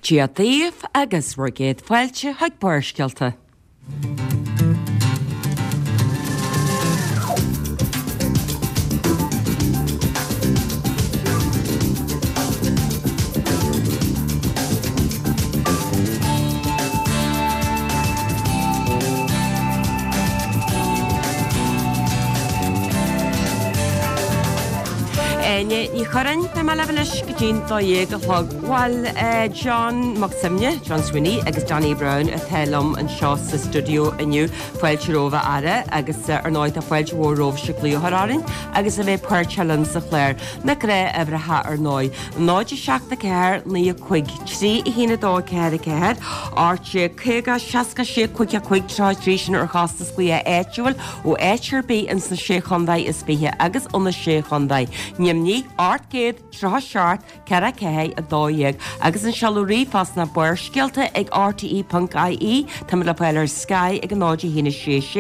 Dia daoibh agus bhur gcéad fáilte chuig Barrscéalta. Áine Ní Churráin, beidh mé libh anois go dtí'n 12 a chlog. Bhuel, John Mac Suibhne, John Swinney agus Danny Brown atá liom anseo sa stiúideo inniu. Fáilte romhaibh a fheara agus ar ndóigh tá fáilte mhór romhaibhse glaoch a chur orainn agus a bheith páirteach linn sa chlár. Na gnáthuimhreacha ar ndóigh, 0 7 4 9 5 3 1 2 4 4 18 50 66 55 33 sin ar chostas glaoch áitiúil ó áit ar bith ins na Sé Chontae is 20 agus ó na Sé Chontae Nimhní 837 4 4 12 agus an seoladh ríomhphost ná barrscéalta ag rte.ie Táimid le fáil ar Sky ag 0 1 6 6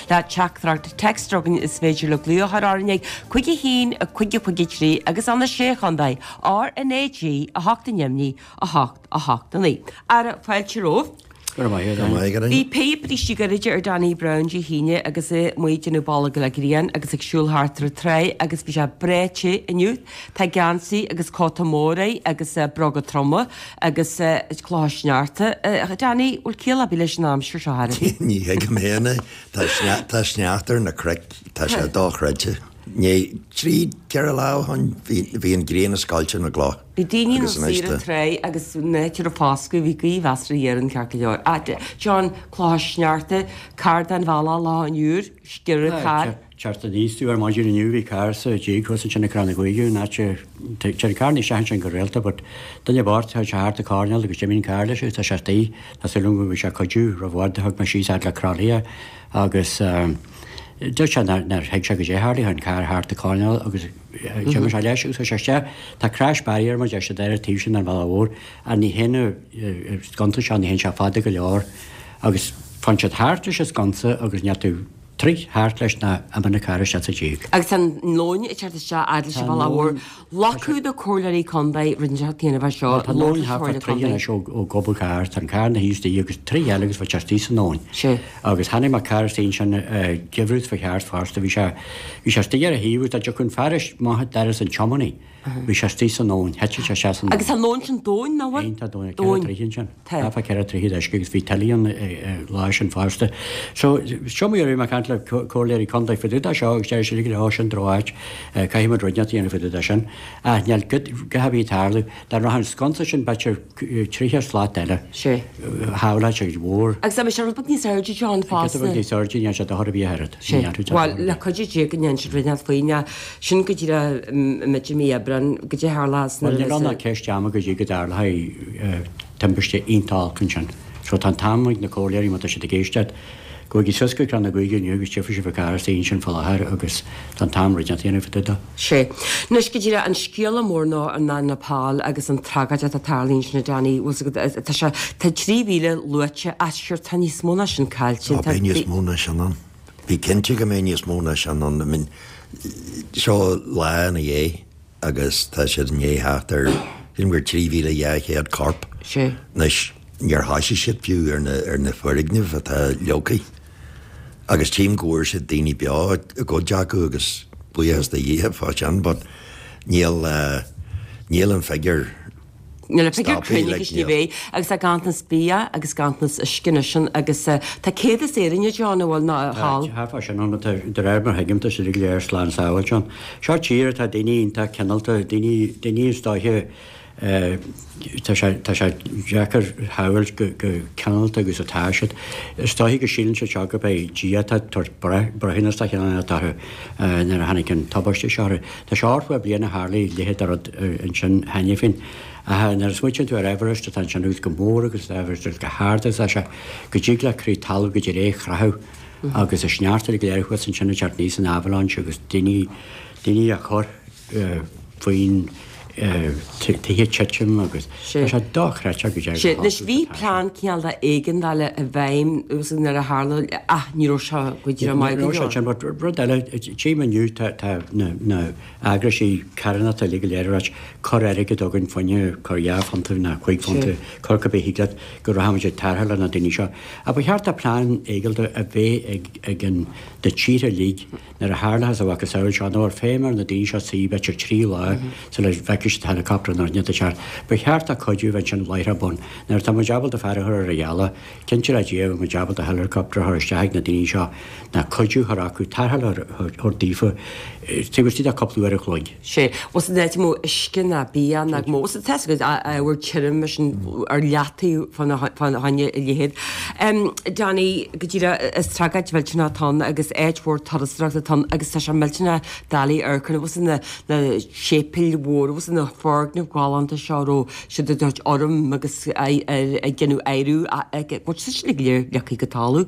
Le teachtaireacht text againn is féidir libh glaoch a chur orainn ag 5 1 5 5 3 agus ó na Sé Chontae RnaG 8 i nDoimní, 8, 8, 9. Ara, fáilte romhaibh. Go raibh maith agat. Maith agat. Bhí píob brístí gairide ar Danny Brown Dé hAoine agus é amuigh ag déanamh bolg le grian agus ag siúl thart ar an tráigh agus bhí sé breá te inniu. Tá geansaí agus cóta mór air agus bróga troma agus clocha sneachta. Danny, bhfuil ciall ar bith leis an aimsir seo chor ar bith? Ní thuigim féin é. Tá sneachta ar na cnoic, tá sé dochreidte. Ní, trí, 4 lá ó shoin bhí an ghrian ag scoilteadh na gcloch. Bhí daoine ina suí ar an tráigh agus an áit a raibh foscadh, bhí gaoth mheasartha ghéar ann ceart go leor. Ah, John, clocha sneachta, carr den bhealach lá an Iúir, sciorradh carr. Teacht aníos tú ar maidin inniu, bhí carr sa díog thuas ansin ag Crann na Gaoithe, an áit a, téann carranna isteach ansin go rialta but duine bocht, chuaigh sé thart an coirnéal agus d'imigh an carr leis agus tá sé istigh, tá súil agam go bhfaighidh sé cuidiú, roimh i bhfad thug mé síos fhad le Crolly é agus. Dúirt sé nár thuig sé goidé a tharlaigh, chuaigh an carr thart an coirnéal agus d'imigh sé leis agus chuaigh sé isteach. Tá crash barrier mar deir siad ar an taobh sin den bhealach mhór ach ní théann an sconsa seo, ní théann sé fada go leor agus faigheann siad thart leis an sconsa agus níl tú troigh thart leis ná imíonn an carr isteach sa díog. Agus tá an abhainn ag teacht isteach fhad leis an bhealach mhór. Loiceadh do comhairleoirí contae rud inteacht a dhéanamh as seo, Tá an abhainn thart fá troigh anois ó gob an chairr, tá an carr ina shuí istigh agus troigh eile agus bheadh sé istigh san abhainn. Sea. Agus chonaic mé carr istigh ansin geimhreadh fá cheart fosta, bhí sé, bhí sé istigh ar a thaobh agus dá dtiocfadh an fear amach doras an tiománaí, bhí sé istigh san abhainn, thit sé isteach san abhainn. Agus tá an abhainn sin domhain, nach bhfuil? Iontach domhain, ceithre troigh ansin. Tá. Thart fá cheithre troigh d'uisce agus bhí tuile ann an lá sin fosta. So, seo mar a bhí mé ag caint le comhairleoirí contae fá dtaobh de seo agus deir siad uilig, ó sin droch-áit, caithfidh muid rud inteacht a dhéanamh fá dtaobh de sin. Ach níl a dhath ar bith ag tarlú. Dá rachadh an sconsa sin b'fhéidir 30 slat eile. Sea. Shábhálfadh sé mhór. Agus dá mbeadh sé rud beag níos airde John fosta. Giota beag níos airde, ní dhéanfadh sé dochar ar bith ach oiread. Sea. Bhuel, le cuidiú Dé go ndéanfaidh siad rud inteacht faoi ná sin go díreach i mí Aibreáin, goidé a tharlós nuair a Bhuel, níl ann ach ceist ama go dtí go dtarlóidh timpiste iontach olc ansin. So tá an t-am ag na comhairleoirí, má tá siad ag éisteacht, gabhaigí suas go Crann na Gaoithe inniu agus tchífidh sibh an carr istigh ansin fá láthair agus tá an t-am rud inteacht a dhéanamh fá dtaobh de. Sea. Anois go díreach, an scéala mór ná an Nepal agus an tragóid atá tarlaithe ansin a Danny, bhfuil 's agat, tá sé, tá 3,000 luaite ach sure tá níos mó ná sin caillte. Tá, beidh níos mó ná sin ann. Bí cinnte go mbeidh níos mó ná sin ann. I mean, seo lá ina dhiaidh agus tá siad i ndiaidh theacht ar, sílim gur 3,200 corp. Sea. Anois, níor thoisigh siad fiú ar na, ar na foirgnimh atá leagtha. Agus tchím go bhfuair siad daoine beo i gcuid acu agus buíochas do Dhia fá sin, but níl, níl an figiúr Níl an figiúr cruinn ag an bhéith agus tá ganntanas bia agus ganntanas uisce anois ann agus tá 100 is Éirinn John a bhfuil ná thall. Tá thart fá sin ann, de réir mar a thuigim tá siad go léir slán sábháilte ann. Seo tír atá daoine iontach cineálta, daoine, daoine is dóiche tá sé, tá sé deacair a shamhailt go, go cineálta agus atá siad. Is dóiche go síleann siad seo gurb é Dia atá ag tabhairt breith, breithiúnas de chineál inteacht orthu nuair a tháinig an tubaiste seo orthu. Tá sé 80 bliain ó tharlaigh a leithéid de rud ansin cheana féin. Ach nuair a smaoitíonn tú ar Everest atá ansin agus go mór agus atá Everest agus go hard agus atá sé, go dtig le crith talún go dtí é a chroitheadh agus an sneachta uilig go léir thuas ansin ag teacht aníos in avalanche agus daoine, daoine á chur faoin. Tithe ag titim agus tá sé dochreidte go deimhin. Sea, anois bhí plean cineál de éigeandála i bhfeidhm agus nuair a tharla, ach ní raibh sé go díreach maith go leor. Ní raibh sé sin, but rud eile, tchím inniu tá tá na na eagraisí carthanachta uilig go léir ag ráit cuir airgead chugainn fá choinne, cuir £2 nó £5, cuir cibé thig leat go rachaimid ag tarrtháil le na daoine seo. Ach ba cheart do plean éigeandála a bheith ag ag an na tíortha uilig Nuair a tharlóchas a mhacasamhail seo, nó ar feidhm ar na daoine seo suí b'fhéidir 3 lá sula bhfeicfidh siad helicopter nó rud inteacht ag teacht. Ba cheart do cuidiú a bheith ansin láithreach bonn. Nuair atá muid ábalta fear a chur ar an ghealach, cinnte le Dia bheadh muid ábalta helicopter a chur isteach ag na daoine seo ná cuidiú a chur acu, tarrtháil a thabhairt daofa taobh istigh de cúpla uair a chloig. Sea, bhfuil san áit mó uisce ná bia ná mó sa test agus ábhar tirim mar sin ar leataobh fá choinne a leithéid. Danny, go díreach, is tragóid mhillteanach atá ann agus áit mhór turasóireachta atá ann agus tá sé millteanach doiligh amharc ar bhfuil na na séipéil mhóra bhfuil na foirgnimh ghalánta seo a raibh siad ag tabhairt urraim agus ag déanamh adhradh bhfuil siad sin go léir leagtha go talamh.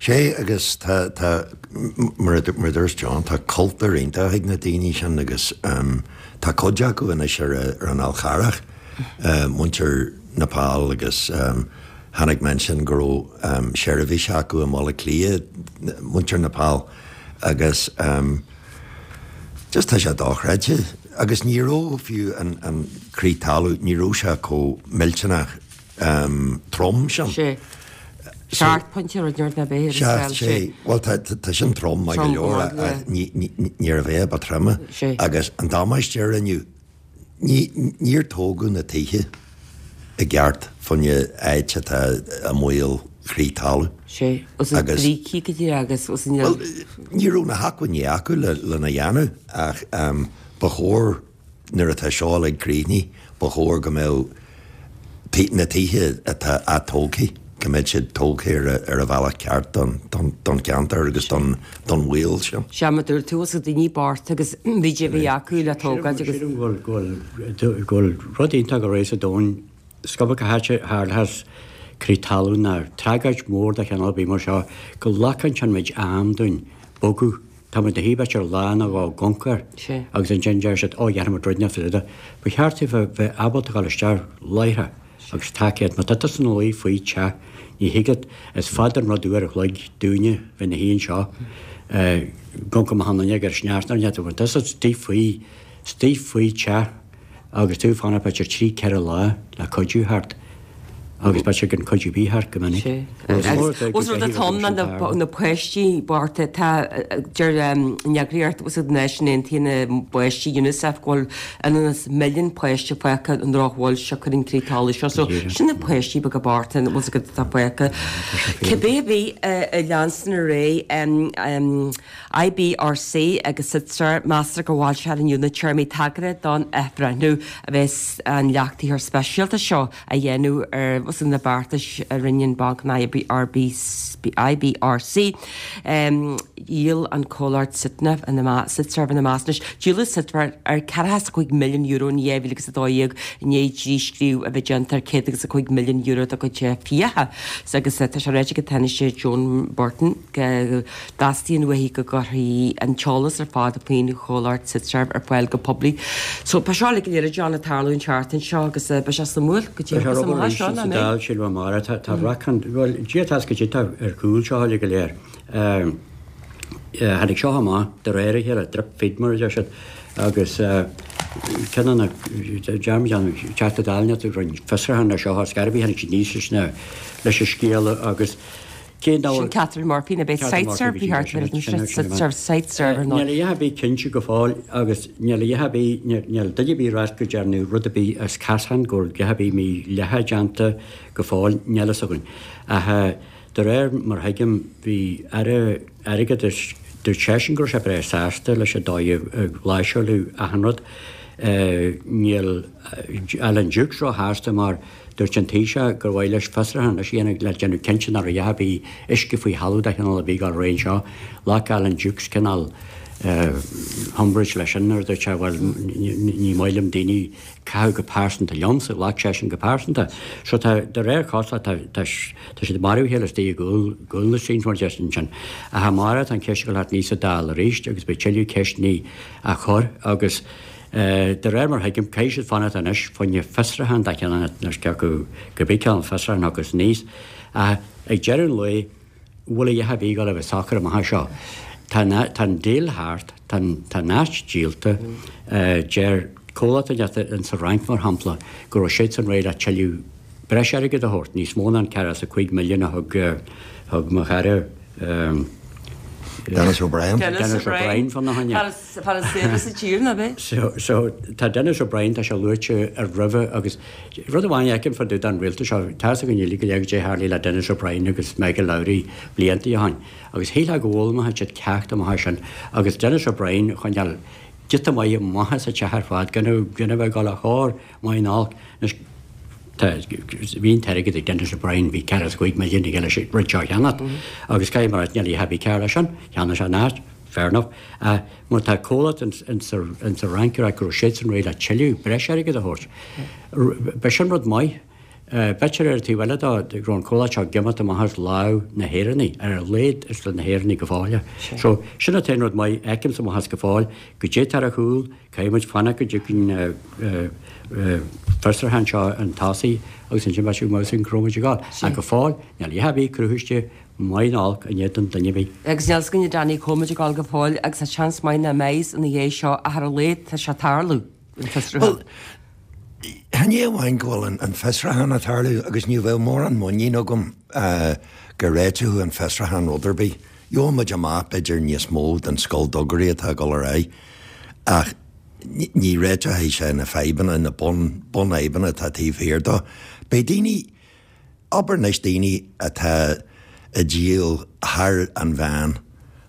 Sé agus tá, tá, mar a dúirt John, tá cultúr iontach ag na daoine sin agus tá cuid acu anois ar an Fhál Charrach, muintir Nepal agus chonaic mé ansin go raibh seirbhís acu i mBaile Átha Cliath, muintir Nepal agus just tá sé dochreidte agus ní raibh fiú an crith talún, ní raibh sé chomh millteanach. trom sin. Sé. Seacht bpointe rud ar bith ar an scála. Sé. Bhuel tá sin trom maith go leor ach níorbh é ba troime. Agus an damáiste a rinneadh, níor tógadh na tithe i gceart fá choinne áit atá i mbaol crith talún. Sé. Agus brící go díreach agus. Bhuel ní raibh na hacmhainní acu lena dhéanamh ach ba chóir Nuair atá seo uilig críochnaithe, ba chóir go mbeadh na tithe atá atógtha, go mbeadh siad tógtha ar an bhealach ceart don cheantar agus don bhaol sin. Sea, mar a dúirt tú, is daoine bochta agus bhí de bhí acu le tógáil agus. Sílim go bhfuil go bhfuil rud iontach go réidh sa domhan, is cuma cá háit a tharlóchas crith talún ná tragóid mhór de chineál ar bith mar seo, go nglacann sin méid am dúinn bogadh Tá muid ina shuí b'fhéidir lá nó dhó i gcuncar agus ansin deir siad, ó dhéanfaidh muid rud inteacht fá dtaobh de. Ba cheart daofa bheith ábalta dul isteach láithreach agus tacaíocht. Má tá tusa ina luí faoi teach, ní thig leat, is fada an rud uair a chloig dúinne bheith ina shuí anseo go amharcann achan duine ag sneachta ar an Má tá tusa istigh faoi, istigh faoi teach, agus tú ag fanacht b'fhéidir 3, 4 lá le cuidiú theacht agus b'fhéidir gan cuidiú ar bith theacht go minic. Ós rud atá ann ná na páistí bochta tá deir an eagraíocht na Náisiún Aontaithe na bPáistí Unicef go bhfuil ionann is milliún páiste fágtha i ndrochbhail siocair an crith talún seo so sin na páistí beaga bochta an bhfuil 's agat atá fágtha. Cibé ar bith a leanstan ar aghaidh IBRC agus Siteserv, meastar go bhfoilseofar inniu na téarmaí tagartha don athbhreithniú a bheas an leachtaítheoir speisialta seo a dhéanamh ar na beartais a rinne an banc an IBRC. Dhíol an comhlacht Siteserv ina measc. Anois, díoladh Siteserv ar €45 milliún in 2012 i ndiaidh díscríobh a bheith déanta ar €105 milliún dá gcuid fiacha agus tá sé ráite ag an Tánaiste Joan Burton go dteastaíonn uaithi go gcuirfí an t-eolas ar fad faoin chomhlacht Siteserv ar fáil go poiblí. So, tá seo uilig go léir a John ag tarlú an tseachtain seo agus beidh sé suimiúil go dtí agus amach seo, nach mbeidh? Sa Dáil, sílim amárach, tá tá racán, bhuel, Dia atá go dtí tá ar chúl seo uilig go léir. Tháinig seo amach de réir a chéile, drip feed mar a deir siad, agus ceann de na, dearmad an Teachta Dála a rinne fiosrúchán ar seo, ar scor ar bith, tháinig siad aníos leis na, leis an scéal agus, Cén dá Sin Catherine Murphy na beidh Siteserv bhí thart ar an Siteserv Siteserv ar ndóigh. Níl a dhath ar bith cinnte go fóill agus níl a dhath ar bith, níl duine ar bith ag ráit go dtearnadh rud ar bith as casán, go bhfuil a dhath ar bith mídhleathach déanta go fóill, níl a fhios againn. Ach de réir mar a thuigim bhí Aire Airgeadais, dúirt seisean go raibh sé breá sásta leis an dóigh a láimhseáladh achan rud. Níl Alan Dukes róshásta mar Dúirt an Taoiseach gur mhaith leis fiosrúchán anois a dhéanamh le déanamh cinnte nach raibh a dhath ar bith uisce faoi thalamh de chineál ar bith ag dul ar aghaidh anseo. Ghlac Alan Dukes cineál umbrage leis sin nuair a dúirt sé bhuel ní maith liom daoine ag caitheamh go pearsanta liomsa, ghlac seisean go pearsanta. So tá, de réir cosúlachta, tá, tá siad ag marú a chéile istigh i gcúl, gcúl na scenes mar a deir siad ansin. Ach amárach tá an cheist ag dul thart aníos sa Dáil arís agus beidh tuilleadh ceisteanna á chur agus. De réir mar a thuigim, caithfidh siad fanacht anois fá choinne fiosrúchán de chineál anois cé acu cibé cineál fiosrúchán a thiocfas aníos. Ach ag deireadh an lae, bhfuil a dhath ar bith ag dul a bheith socair amach anseo. Tá tá an deal thart, tá an tá an áit díolta. Deir comhlacht inteacht in sa Fhrainc, mar shampla, go raibh siadsan réidh le tuilleadh breis airgid a thabhairt, níos mó ná an 45 milliún a thug thug mo chara Denis O'Brien. Denis O'Brien fána choinne. Fear is saibhre sa tír, ná b'é? So, so, tá Denis O'Brien, tá sé luaite ar roimhe agus rud amháin a fheicim fá dtaobh den rialtas seo, tá fhios againn uilig go léir goidé tharlaigh le Denis O'Brien agus Michael Lowry blianta ó shin agus shílfeá go bhfoghlaimeoidh siad ceacht amach as sin agus Denis O'Brien a choinneáil giota maith amach as an teach ar fad gan a gan a bheith ag dul a chóir maith ná olc. Anois, tá, bhí an t-airgead ag Denis O'Brien, bhí 45 milliún aige leis an rud seo a cheannacht agus caithfidh mé a rá níl a dhath ar bith cearr leis sin, cheannaigh sé an áit. Fair enough. Ach má tá comhlacht ins an Fhrainc ag rá go raibh siadsan réidh le tuilleadh breis airgid a thabhairt, b'shin rud maith. B'fhéidir ar an taobh eile de go raibh an comhlacht seo ag imeacht amach as lámh na hÉireannaigh, ar a laghad is le na hÉireannaigh go fóill. So, sin an t-aon rud maith a fheicimse amach as go fóill. Goidé atá ar a chúl, caithfidh muid fanacht go dtiocfaidh an fiosrúchán seo chun tosaigh agus ansin beidh sé go maith cá raibh muid ag dul. Ach go fóill, níl a dhath ar bith cruthaithe Maith ná olc in éadan duine ar bith. Agus níl fhios againn a Danny cá bhfuil muid ag dul go fóill agus tá seans maith nach mbeidh ina dhiaidh seo ach ar a laghad tá sé ag tarlú, an fiosrúchán. Bhuel, chan é amháin go bhfuil an fiosrúchán ag tarlú agus ní bheadh mórán muinín agam go réiteodh an fiosrúchán rud ar bith. Gheobhaidh muid amach b'fhéidir níos mó den scolldugairí atá ag dul ar aghaidh ach ní réiteoidh sé na fadhbanna, na bunfhadhbanna atá taobh thiar dó. Beidh daoine. Abair anois daoine atá ag díol thar an mheán,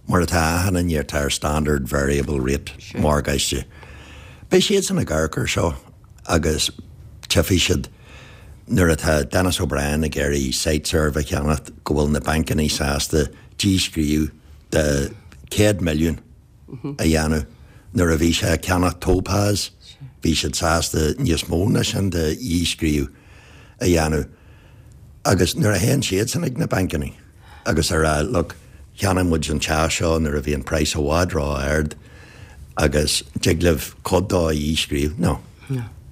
mar atá achan duine atá ar standard variable rate morgáiste. Beidh siadsan ag amharc air seo agus tchífidh siad nuair atá Denis O'Brien ag iarraidh Siteserv a cheannacht go bhfuil na bancanna sásta díscríobh de 100 milliún a dhéanamh. Nuair a bhí sé ag ceannach Topaz, bhí siad sásta níos mó ná sin de dhíscríobh a dhéanamh. Agus nuair a théann siadsan ag na bancanna agus a rá, look, cheannaigh muid an teach seo nuair a bhí an praghas i bhfad ró-ard agus dtig libh cuid dó a dhíscríobh. No.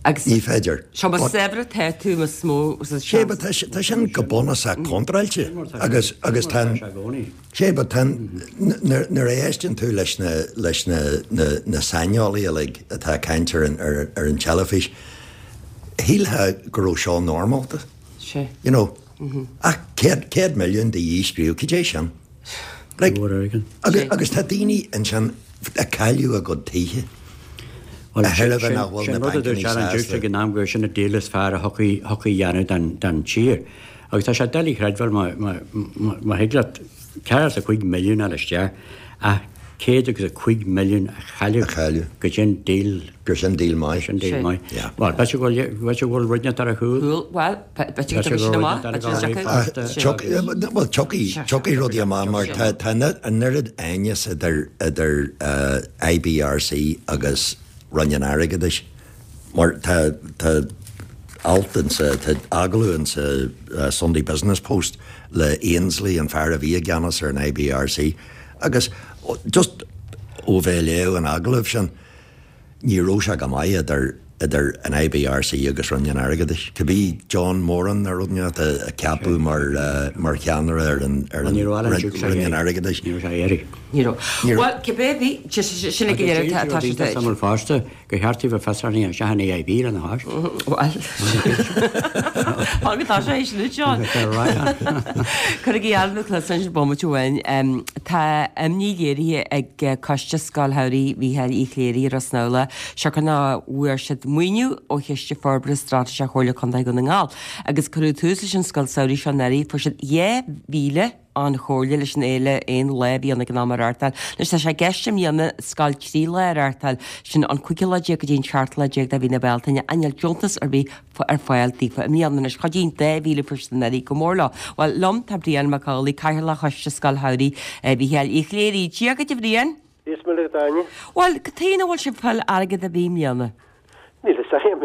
Agus ní féidir. Seo más saibhre atá tú, más mó seans. Sé, but tá sin go bunúsach contráilte agus agus tá an. Sé, but tá an, nuair a éisteann tú leis na, leis na, na, na saineolaithe uilig atá ag caint ar an, ar, ar an teilifís, shílfeá go raibh seo normálta. Sé. You know, ach 100, 100 milliún de dhíscríobh, cad é sin? Like, agus, agus tá daoine ansin ag cailleadh a gcuid tithe. Bhuel, sin, sin, sin rud a dúirt Alan Dukes ag an am gur sin an deal is fearr a thiocfaidh, thiocfaidh a dhéanamh don, don tír. Agus tá sé doiligh a chreidbheáil má thig leat 45 milliún a fháil isteach ach 105 milliún a chailleadh go sin deal. Gur sin deal maith. Sin deal maith. Bhuel, b'fhéidir go bhfuil rud inteacht ar a chúl. Bhuel, b'fhéidir go dtiocfaidh sin amach. Bhuel, tiocfaidh rudaí amach mar tá an oiread aighneas idir IBRC agus Roinn an Airgeadais. Mar tá, tá alt insa, tá agallamh insa Sunday Business Post le Ainsley, an fear a bhí i gceannas ar an IBRC, agus just ó bheith ag léamh an agallaimh sin, ní raibh sé go maith idir, idir an IBRC agus Roinn an Airgeadais. Cibé John Moran nó rud inteacht a ceapadh mar, mar cheannaire ar an, ar an Roinn an Airgeadais. Ní raibh sé éirithe. Ní raibh. Bhuel, cibé a bhí, sin ag an deireadh tá sé. Tá sé fosta. Gur cheart daoibh fiosrúchán a dhéanamh isteach in AIB lena chois. Bhuel, fág atá sé sin, John. Cuirigí airm na cluasa ansin bomaite amháin. Tá imní léirithe ag Coiste Scoil Shamhraidh Mhícheáil Uí Chléirigh i Ros na Samhla siocair nach bhfuair siad maoiniú ó Chiste Forbartha Straitéiseach Chomhairle Contae Dhún na nGall agus cuireadh tús leis an scoil samhraidh seo anuraidh. Fuair siad 2,000 an chomhairle leis an fhéile aon lá a bhí ann ag an am a reáchtáil. Anois tá sé i gceist i mbliana scoil 3 lá a reáchtáil, sin an cúigiú lá déag go dtí an seachtú lá déag de mhí na Bealtaine, ach níl deontas ar bith ar fáil daofa i mbliana. Anois chuidigh an 2,000 a fuair siad anuraidh go mór leo. Bhuel, liom tá Brian Mac Amhlaigh, Cathaoirleach Choiste Scoil Shamhraidh Mhícheáil Uí Chléirigh. Dia dhuit a Bhriain! Dia is Muire dhuit a Áine. Bhuel, cad chuige nach bhfuil sibh ag fáil airgead ar bith i mbliana? Níl fhios agam.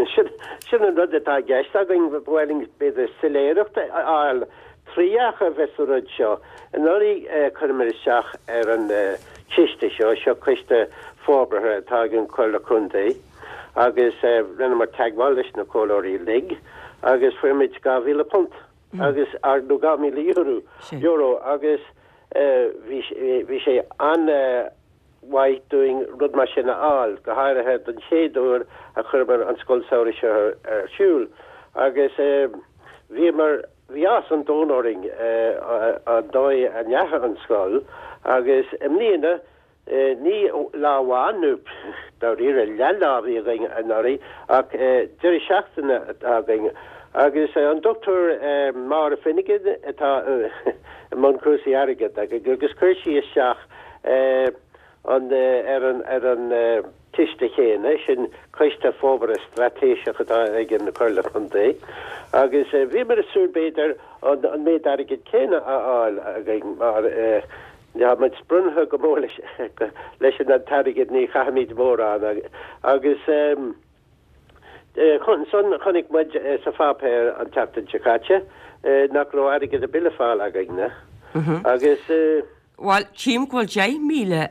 Sin an rud atá i gceist againn, ba mhaith linn b'fhéidir soiléireacht a fháil triath a bheith sa rud seo. Anuraidh chuireamar isteach ar an chiste seo, seo coiste forbartha atá ag an Chomhairle Contae. Agus rinneamar teagmháil leis na comhairleoirí uilig agus fuair muid £2,000 agus, nó €2,000, euro agus bhí, bhí sé an-mhaith dúinn rud mar sin a fháil, go háirithe don chéad uair a chuireamar an scoil samhraidh seo ar siúl. Agus bhíomar, bhí áthas an domhain orainn an dóigh a ndeachaigh an scoil agus i mbliana, Ní lá amháin, nó dáiríre leathlá a bhí againn anuraidh, ach deireadh seachtaine atá againn. Agus an Dr Máire Finnegan atá i mbun cúrsaí airgid agus chuir sí isteach an ar an ar an ciste chéanna, sin Coiste Forbartha Straitéiseach atá ag an Chomhairle Contae. Agus bhíomar ag súil b'fhéidir an méid airgid céanna a fháil againn mar Tá muid sprionnithe go mór leis an t-airgead, ní chaithimid mórán agus ansan chonaic muid sa pháipéar an tseachtain seo caite nach raibh airgead ar bith le fáil againne agus. Bhuel, tchím go bhfuil 10,000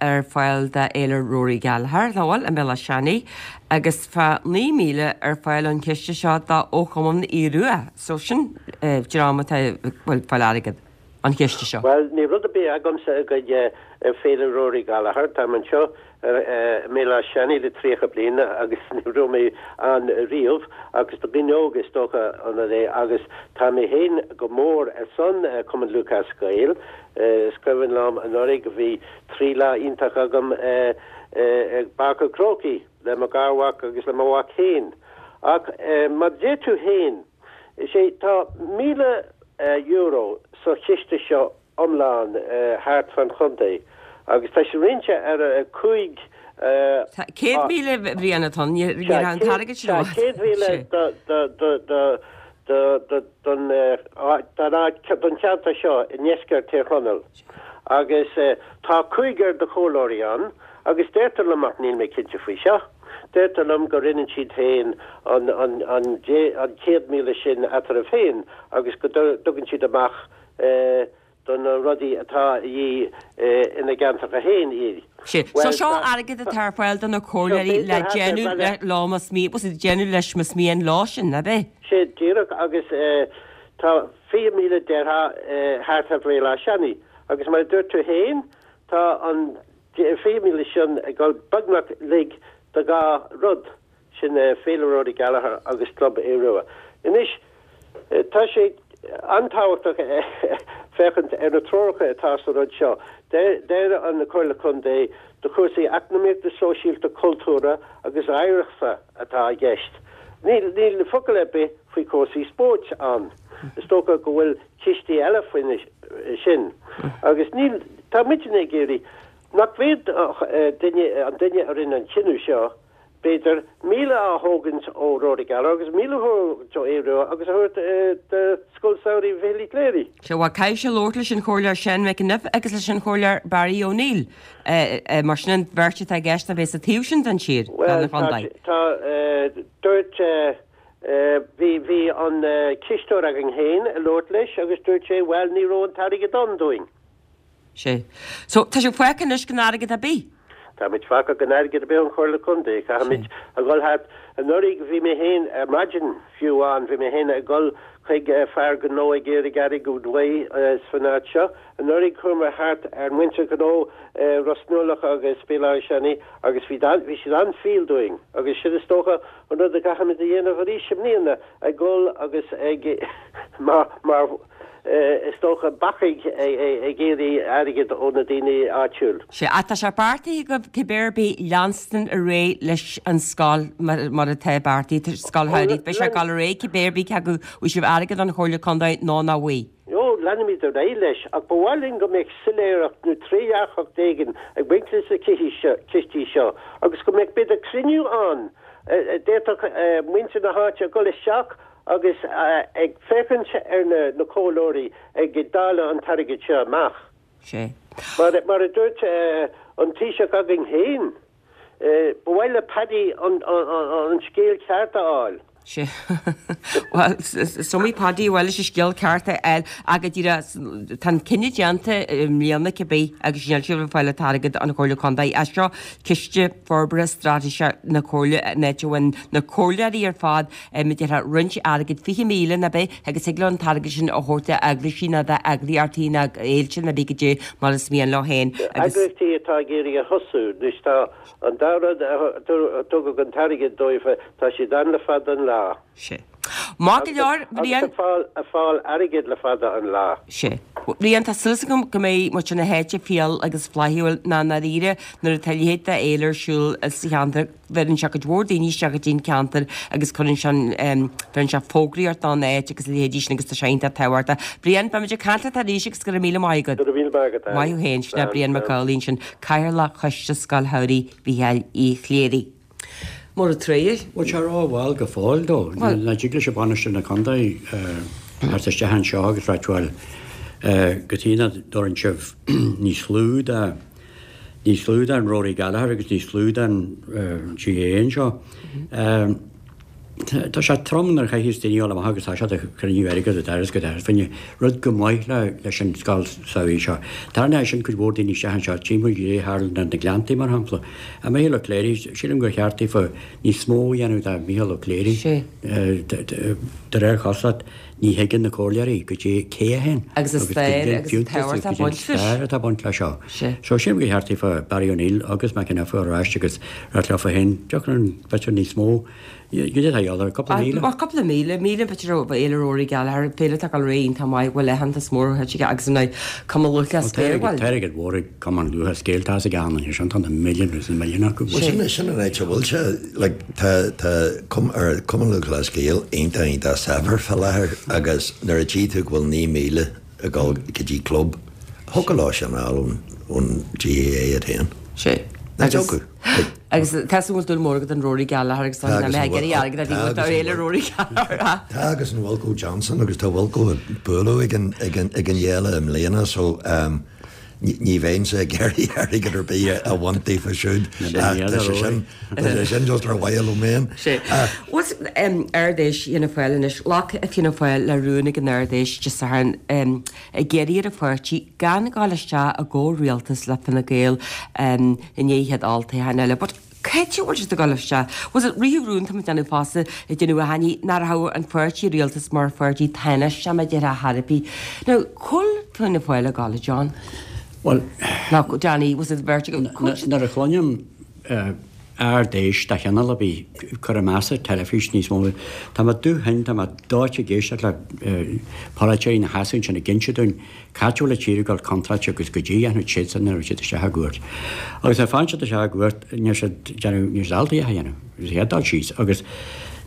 ar fáil do Fhéile Rory Gallagher, nach bhfuil, i mBéal Átha Seanaidh, agus tá 9,000 ar fáil ón chiste seo do Chumann Aodh Rua. So sin dream atá ag fáil airgead. an chiste seo? Bhuel, níl rud ar bith agamsa i gcoinne Féile Rory Gallagher. Táim anseo i mBéal Átha Seanaidh le 30 bliain agus ní raibh mé ann riamh agus do dhaoine óga is dócha ionann é agus tá mé féin go mór ar son Cumann Lúthchleas Gael. Is cuimhin liom anuraidh bhí 3 lá iontach agam i bPáirc an Chrócaigh le mo gharmhac agus le mo mhac féin. Ach mar a deir tú féin, Is é, tá €1,000 sa chiste seo iomlán thart fan chontae agus tá sé roinnte ar 5. Tá 100,000 a Bhriain atá ann, ní raibh an t-airgead sin ann. Sea, 100,000 don áit, don cheantar seo i ndeisceart Thír Chonaill agus tá cúigear de chomhairleoirí ann agus deirtear liom, ach níl mé cinnte faoi seo, Deirtear liom go roinneann siad féin an 100,000 sin eatarthu féin agus go dtugann siad amach do na rudaí atá a dhíth ina gceantracha féin iad. Sea. So seo airgead atá ar fáil do na comhairleoirí le déanamh leo más déanamh leis más mian leo sin, ab é? Sea, díreach agus tá 20,000 déarfá thart ar Bhéal Átha Seanaidh agus mar a dúirt tú féin tá an 20,000 sin ag dul beagnach uilig do dhá rud, sin Féile Rory Gallagher agus Club Aodh Rua. Anois, tá sé an-tábhachtach féachaint ar na treoracha atá sa rud seo. Deir an Chomhairle Contae do chúrsaí eacnamaíochta, sóisialta, cultúrtha agus oidhreachta atá i gceist. Níl focal ar bith faoi chúrsaí spóirt ann. Is dócha go bhfuil cistí eile faoina sin. Agus níl, tá muidne ag iarraidh nach bhféadfadh duine, an duine a rinne an cinneadh seo, b'fhéidir, 1,000 a thógaint ó Rory Gallagher agus 1,000 a thógaint ó Aodh Rua agus a thabhairt do Scoil Samhraidh Mhichíl Uí Chléirigh. Sea, bhuel, caithfidh sé labhairt leis an Chomhairleoir Seán McEniff agus leis an Chomhairleoir Barry O'Neill, mar sin an bheirt atá i gceist a bheas sa taobh sin den tír, den chontae. Bhuel, tá, dúirt, Bhí, bhí an cisteoir againn féin ag labhairt leis agus dúirt sé, bhuel, ní raibh an t-airgead ann dúinn. Sea. So, tá sibh fágtha anois gan airgead ar bith? Tá muid fágtha gan airgead ar bith ón Chomhairle Contae. Caithfimid a dhul thart. Anuraidh bhí mé féin, ar maidin fiú amháin, bhí mé féin ag dul chuig fear gnó ag iarraidh airgead uaidh san áit seo. Anuraidh chuamar thart ar mhuintir ghnó i Ros Nuallach agus Béal Átha Seanaidh agus bhí, bhí siad an-fhial dúinn agus sin is dócha An rud a gcaithfimid a dhéanamh arís i mbliana, ag dul agus ag, mar, mar, is dócha, bacaigh ag iarraidh airgead ó na daoine áitiúil. Sea, ach tá sé beartaithe agaibh cibé ar bith leanstan ar aghaidh leis an scoil mar atá beartaithe, scoil shamhraidh. Beidh sé ag dul ar aghaidh cibé ar bith cé acu bhfuil sibh airgead ón Chomhairle Contae nó nach bhfuil. Ó, leanfaimid ar aghaidh leis, ach ba mhaith linn go mbeadh soiléireacht nó trédhearcacht éigin ag baint leis na cistí seo agus go mbeadh b'fhéidir cruinniú ann a d'fhéadfadh muintir na háite a dhul isteach agus ag féachaint ar na comhairleoirí ag dáileadh an t-airgead seo amach. Sea. Mar a dúirt an Taoiseach againn féin, ba mhaith le Paddy an scéal ceart a fháil. Sea. Bhuel, is iomaí Paddy a bhfuil leis an scéal ceart a fháil ach go díreach tá an cinneadh déanta i mbliana cibé agus níl sibh ag fáil an t-airgead ón Chomhairle Contae as seo, Ciste Forbartha Straitéiseach na Comhairle an áit a bhfuil na comhairleoirí ar fad mar a déarfá roinnt airgid, 20,000 nó bith, agus thig leo an t-airgead sin a thabhairt d'eaglaisí nó d'eagraíochtaí nó d'fhéilte nó bith goidé mar is mian leo féin agus. Eagraíochtaí atá ag iarraidh a thosú anois tá An dá rud a tugadh an t-airgead dóibh, tá siad ann le fada an lá. Sea. Maith go leor, Bhriain. Agus ag fáil airgid le fada an lá. Sea. Bhriain, tá súil agam go mbeidh muintir na háite fial agus flaithiúil ná i ndáiríre nuair atá a leithéid de fhéile ar siúl sa cheantar, bheireann sé cuid mhór daoine isteach go dtí an ceantar agus cuireann sé an, bheireann sé fógraíocht don áit agus a leithéidí sin agus tá sé iontach tábhachtach. Brian, beimid ag caint leat arís agus go raibh míle maith agat. Go raibh míle maith agat, Ann. Maith thú féin, sin é Brian Mac Amhlaigh ansin. Cathaoirleach Choiste Scoil Shamhraidh Mhícheáil Uí Chléirigh. Mura tréigh. Bhuel tá ró-mhall go fóill dó. Nach dtig leis an bainisteoir na contae theacht isteach anseo agus ráit bhuel cad chuige nach dtabharann sibh níos lú de níos lú den Rory Gallagher agus níos lú den GAA anseo. Tá sé trom nuair a chaithfeas daoine dul amach agus tá siad ag cruinniú airgid ó dhoras go doras fá choinne rud go maith leis an scoil samhraidh seo. Tarraingeoidh sé sin cuid mhór daoine isteach anseo, timpeall de tharla na Gleanntaí mar shampla. A Mhicheál Ó Cléirigh, sílim gur cheart daofa níos mó a dhéanamh do Mhicheál Ó Cléirigh. De réir chosúlacht ní thuigeann na comhairleoirí goidé cé é féin agus an stair agus an tábhacht atá baint leis. stair atá baint leis seo. So sílim gur cheart daofa Barry O'Neill agus McEneff ar ais agus ráit leofa féin, deoch an b'fhéidir níos mó Goidé atá a dhíobháil air, cúpla míle? Bhuel, cúpla míle, míle b'fhéidir ó Fhéile Rory Gallagher, féile atá ag dul ar aghaidh iontach maith, bhfuil aitheantas mór thuillte aige agus ar ndóigh Cumann Lúthchleas Gael, bhuel. Tá airgead mhór ag Cumann Lúthchleas Gael, tá a fhios ag achan duine sin, tá na milliúin agus na milliúin acu. Bhuel, sin, sin an áit a bhfuil sé, like, tá, tá Cumann Lúthchleas Gael iontach, iontach saibhir fá láthair agus nuair a tchí tú go bhfuil 9,000 ag dul go dtí club, thiocfadh leo sin a fháil ón, ón GAA iad féin. Sea. Nach dtiocfadh? Agus tá súil go bhfuil dúil mór agat in Rory Gallagher agus tá mé ag iarraidh airgead a bhí agat ar fhéile Rory Gallagher. Tá agus an Wilko Johnson agus tá Wilko ag bualadh ag an ag an ag an fhéile i mbliana so ní bheinnse ag iarraidh airgead ar bith a bhaint daofa siúd ach tá sé sin tá sé sin just ar mhaithe liom féin. Bhuel Ard-Fheis Fhianna Fáil anois, ghlac Fianna Fáil le rún ag an Ard-Fheis Dé Sathairn ag iarraidh ar an pháirtí gan gabháil isteach i gcomhrialtas le Fine Gael i ndiaidh an chéad olltoghchán eile. But cá háit a bhfuil siad ag gabháil isteach? Was it ritheadh rún tá muid déanamh fosta ag déanamh aithní nach raibh an pháirtí rialtas mar pháirtí tánaisteach mar a déarfá chor ar bith. Now, cá bhfuil Fianna Fáil ag gabháil, a John? Bhuel, Nó Danny, was it beirt agat? Nuair a chluinim Ard-Fheis de chineál ar bith, cuir i gcás ar teilifís níos mó. Tá mé dubh-thinn, tá mé dóite ag éisteacht le polaiteoirí ina sheasamh ansin ag inse dúinn cá háit a bhfuil an tír ag dul contráilte agus goidé a dhéanfaidh siadsan nuair a bheidh siad isteach i gcumhacht. Agus nuair a faigheann siad isteach i gcumhacht, níl siad déanamh, níl siad ábalta a dhath a dhéanamh. Is iad dul síos. Agus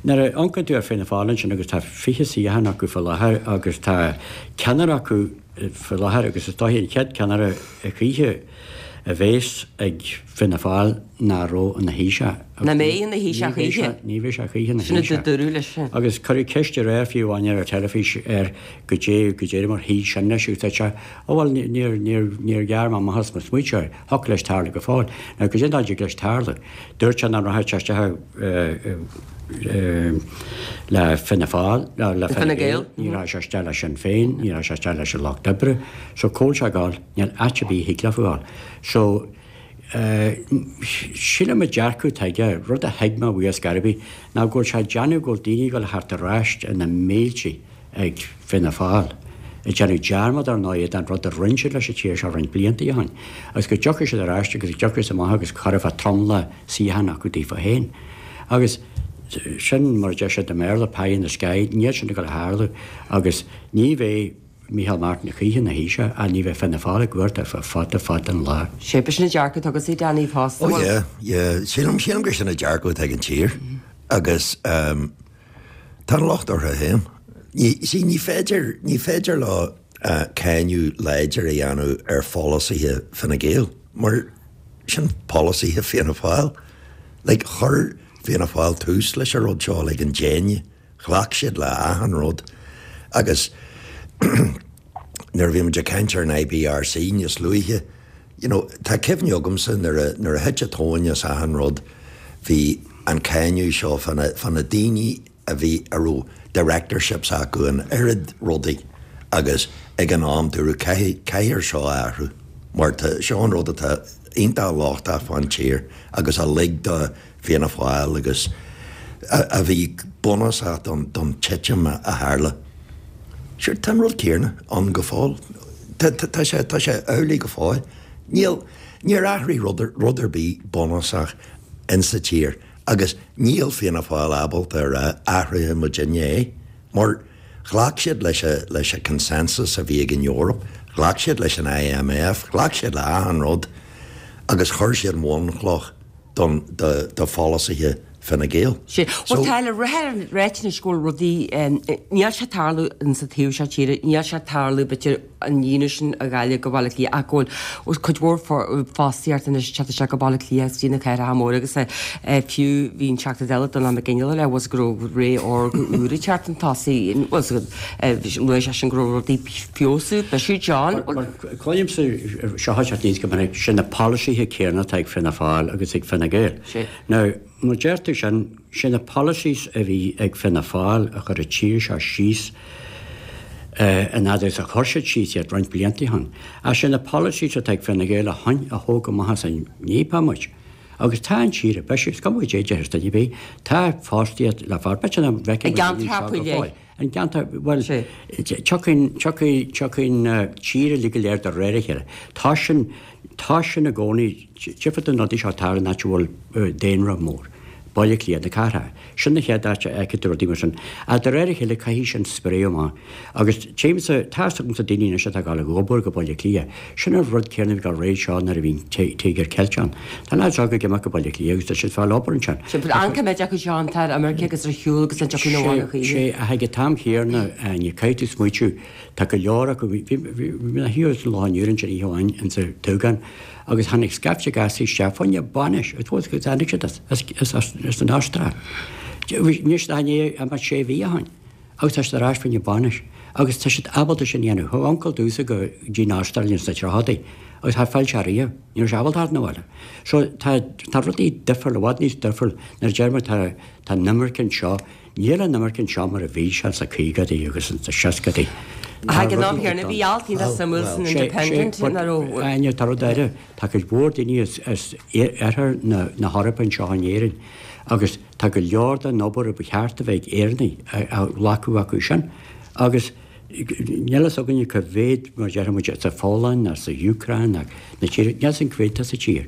nuair a amharcann tú ar Fianna Fáil ansin agus tá 20 suíochán acu faoi láthair agus tá ceannaire acu faoi láthair agus is dóichí an chéad ceannaire a choíche a bhéas ag Fianna Fáil nach raibh ina Thaoiseach. Nach mbeidh ina Thaoiseach choíche. Ní bheidh sé choíche ina Thaoiseach. Sin a dúradh leis. Agus cuireadh ceist aréir fiú amháin ar an teilifís air goidé goidé mar shuigh sin leis agus dúirt sé, Ó bhuel níor níor níor ghearr mé amach as mo smaointe air, thiocfadh leis tarlú go fóill. Now goidé an dóigh a dtig leis tarlú? Dúirt sé nach rachadh sé isteach le Fianna Fáil, le Fine Gael, ní rachaidh sé isteach le Sinn Féin, ní rachaidh sé isteach leis an Lucht Oibre. So cá bhfuil sé ag gabháil? Níl áit ar bith a thig leofa ghabháil. So, sílim an dearcadh atá aige, rud a thuig mé uaidh ar scor ar bith, ná go bhfuil sé ag déanamh go bhfuil daoine ag dul a theacht ar ais ina mílte ag Fianna Fáil, ag déanamh dearmad ar ndóigh den rud a rinne siad leis an tír seo roinnt blianta ó shin, agus go dtiocfaidh siad ar ais agus go dtiocfaidh siad amach agus chuirfeá tromlach suíochán acu daofa féin. Agus sin, mar a deir siad i mBéarla, pie in the sky, níl sin ag dul a tharlú agus ní bheidh Micheál Martin choíche ina Thaoiseach ach ní bheidh Fianna Fáil i gcumhacht ar feadh fada fada an lá. Sé, b'shin an dearcadh atá agatsa, Danny, fosta. Oh yeah, yeah. Sílim, sílim gur sin an dearcadh atá ag an tír agus ehm tá an locht orthu féin. Ní, see, ní féidir, ní féidir leo cáineadh láidir a dhéanamh ar pholasaithe Fine Gael mar sin polasaithe Fianna Fáil. Like chuir Fianna Fáil tús leis an rud seo, like an déine. Ghlac siad le achan rud agus nuair a bhí muid ag caint ar an IBRC níos luaithe, you know, tá cuimhne agamsa nuair a, nuair a thit an tóin as achan rud, bhí an cáineadh seo fá na, fá na daoine. a bhí, a raibh directorships acu in oiread rudaí agus ag an am dúradh caithfidh, caithfear seo a athrú mar tá, seo an rud atá iontach lochtach fán tír agus a lig do Fianna Fáil agus a bhí bunúsach don, don titim a tharla. Sure, tá an rud céanna ann go fóill. Tá, tá, tá sé, tá sé amhlaidh go fóill. Níl, níor athraigh rud, rud ar bith bunúsach insa tír agus níl Fianna Fáil ábalta a rá athróidh muidinne é mar ghlac siad leis a, leis a consensus a bhí ag an Eoraip, ghlac siad leis an IMF, ghlac siad le achan rud agus chuir siad an bhunchloch don, do, do pholasaithe Fine Gael. Sea. Bhuel tá le ráit anois go bhfuil rudaí, níl sé ag tarlú insa taobh seo tíre, níl sé ag tarlú b'fhéidir an líonadh sin a Ghaillimh go Baile Átha Cliath ach go bhfuil cuid mhór fostaíocht anois ag teacht isteach go Baile Átha Cliath agus dtí na cathracha móra agus fiú bhí an Teachta Dála Donall Mac Fhionnghaile le bhfuil go raibh ré órga úr ag teacht chun tosaigh luaigh seisean go raibh rudaí ag feabhsú b'shin John. Cluinimse seo ag teacht aníos go minic, sin na polasaithe céanna atá ag Fianna Fáil agus ag Fine Gael. Now, mar deir tú sin, sé na policies a bhí ag Fianna Fáil a chuir an tír seo síos an fhad is a chuir siad síos iad roinnt blianta ó shin. Ach sé na policies atá ag Fine Gael ó shin a thóg amach as an njíopá muid. Agus tá an tír ag bisiú, is cuma goidé a déarfas duine ar bith, tá fostaíocht le fáil, b'fhéidir nach bhfeicfidh muid daoine anseo go fóill. An gceantar, bhuel, tiocfaidh, tiocfaidh, tiocfaidh an tír uilig go léir de réir a chéile. Tá sin, tá sin i gcónaí, tchífidh tú na rudaí seo ag tarlú in áit a bhfuil daonra mór, Baile Átha Cliath, na cathracha. Sin na chéad áit a fheicfidh tú rudaí mar sin. Ach de réir a chéile caithfidh sin spréadh amach. Agus tchímse, tá fhios agamsa daoine anois atá ag dul ag obair go Baile Átha Cliath. Sin an rud céanna a bhí ag dul roimhe seo nuair a bhí an Tíogar Ceilteach ann. Tá lads óga ag imeacht go Baile Átha Cliath agus tá siad ag fáil obair ansin. Sea, but an cá mhéad acu seo atá ar imirce agus ar shiúl agus an dtiocfaidh na bhaile choíche? Sea, ach ag an t-am chéanna, ní caithfidh tú smaoitiú, tá go leor acu, bhí mé thiar sa Loch an Iúir ansin oíche amháin insa Dúgán agus tháinig scaifte gasraí isteach fá choinne bainis, it was, tháinig siad as an Astráil. Níl siad ach i ndiaidh imeacht sé mhí ó shin. Agus tá siad ar ais fá choinne bainis. Agus tá siad ábalta sin a dhéanamh. Chuaigh uncail domhsa go dtí an Astráil ins na tríochadaí agus char phill sé riamh. Ní raibh sé ábalta theacht 'na bhaile. So tá, tá rudaí difriúil, i bhfad níos difriúil nuair a deir muid tá, tá an imirce anseo. Níl an imirce anseo mar a bhí sé ins na caogaidí agus ins na seascadaí. Tá Ag an am rudaí céanna bhí alt iontach suimiúil san Independent ina raibh. Áine, tá rud eile, tá cuid mhór daoine as, as oirthear na, na hEorpa anseo in Éirinn agus, Tá go leor den obair a ba cheart a bheith ag Éireannaigh á ghlacadh acu sin agus níl fhios againne cá mhéad, mar a déarfadh muid, sa Pholainn ná sa Úcráin ná na tíortha, níl fhios againn cá mhéad atá sa tír.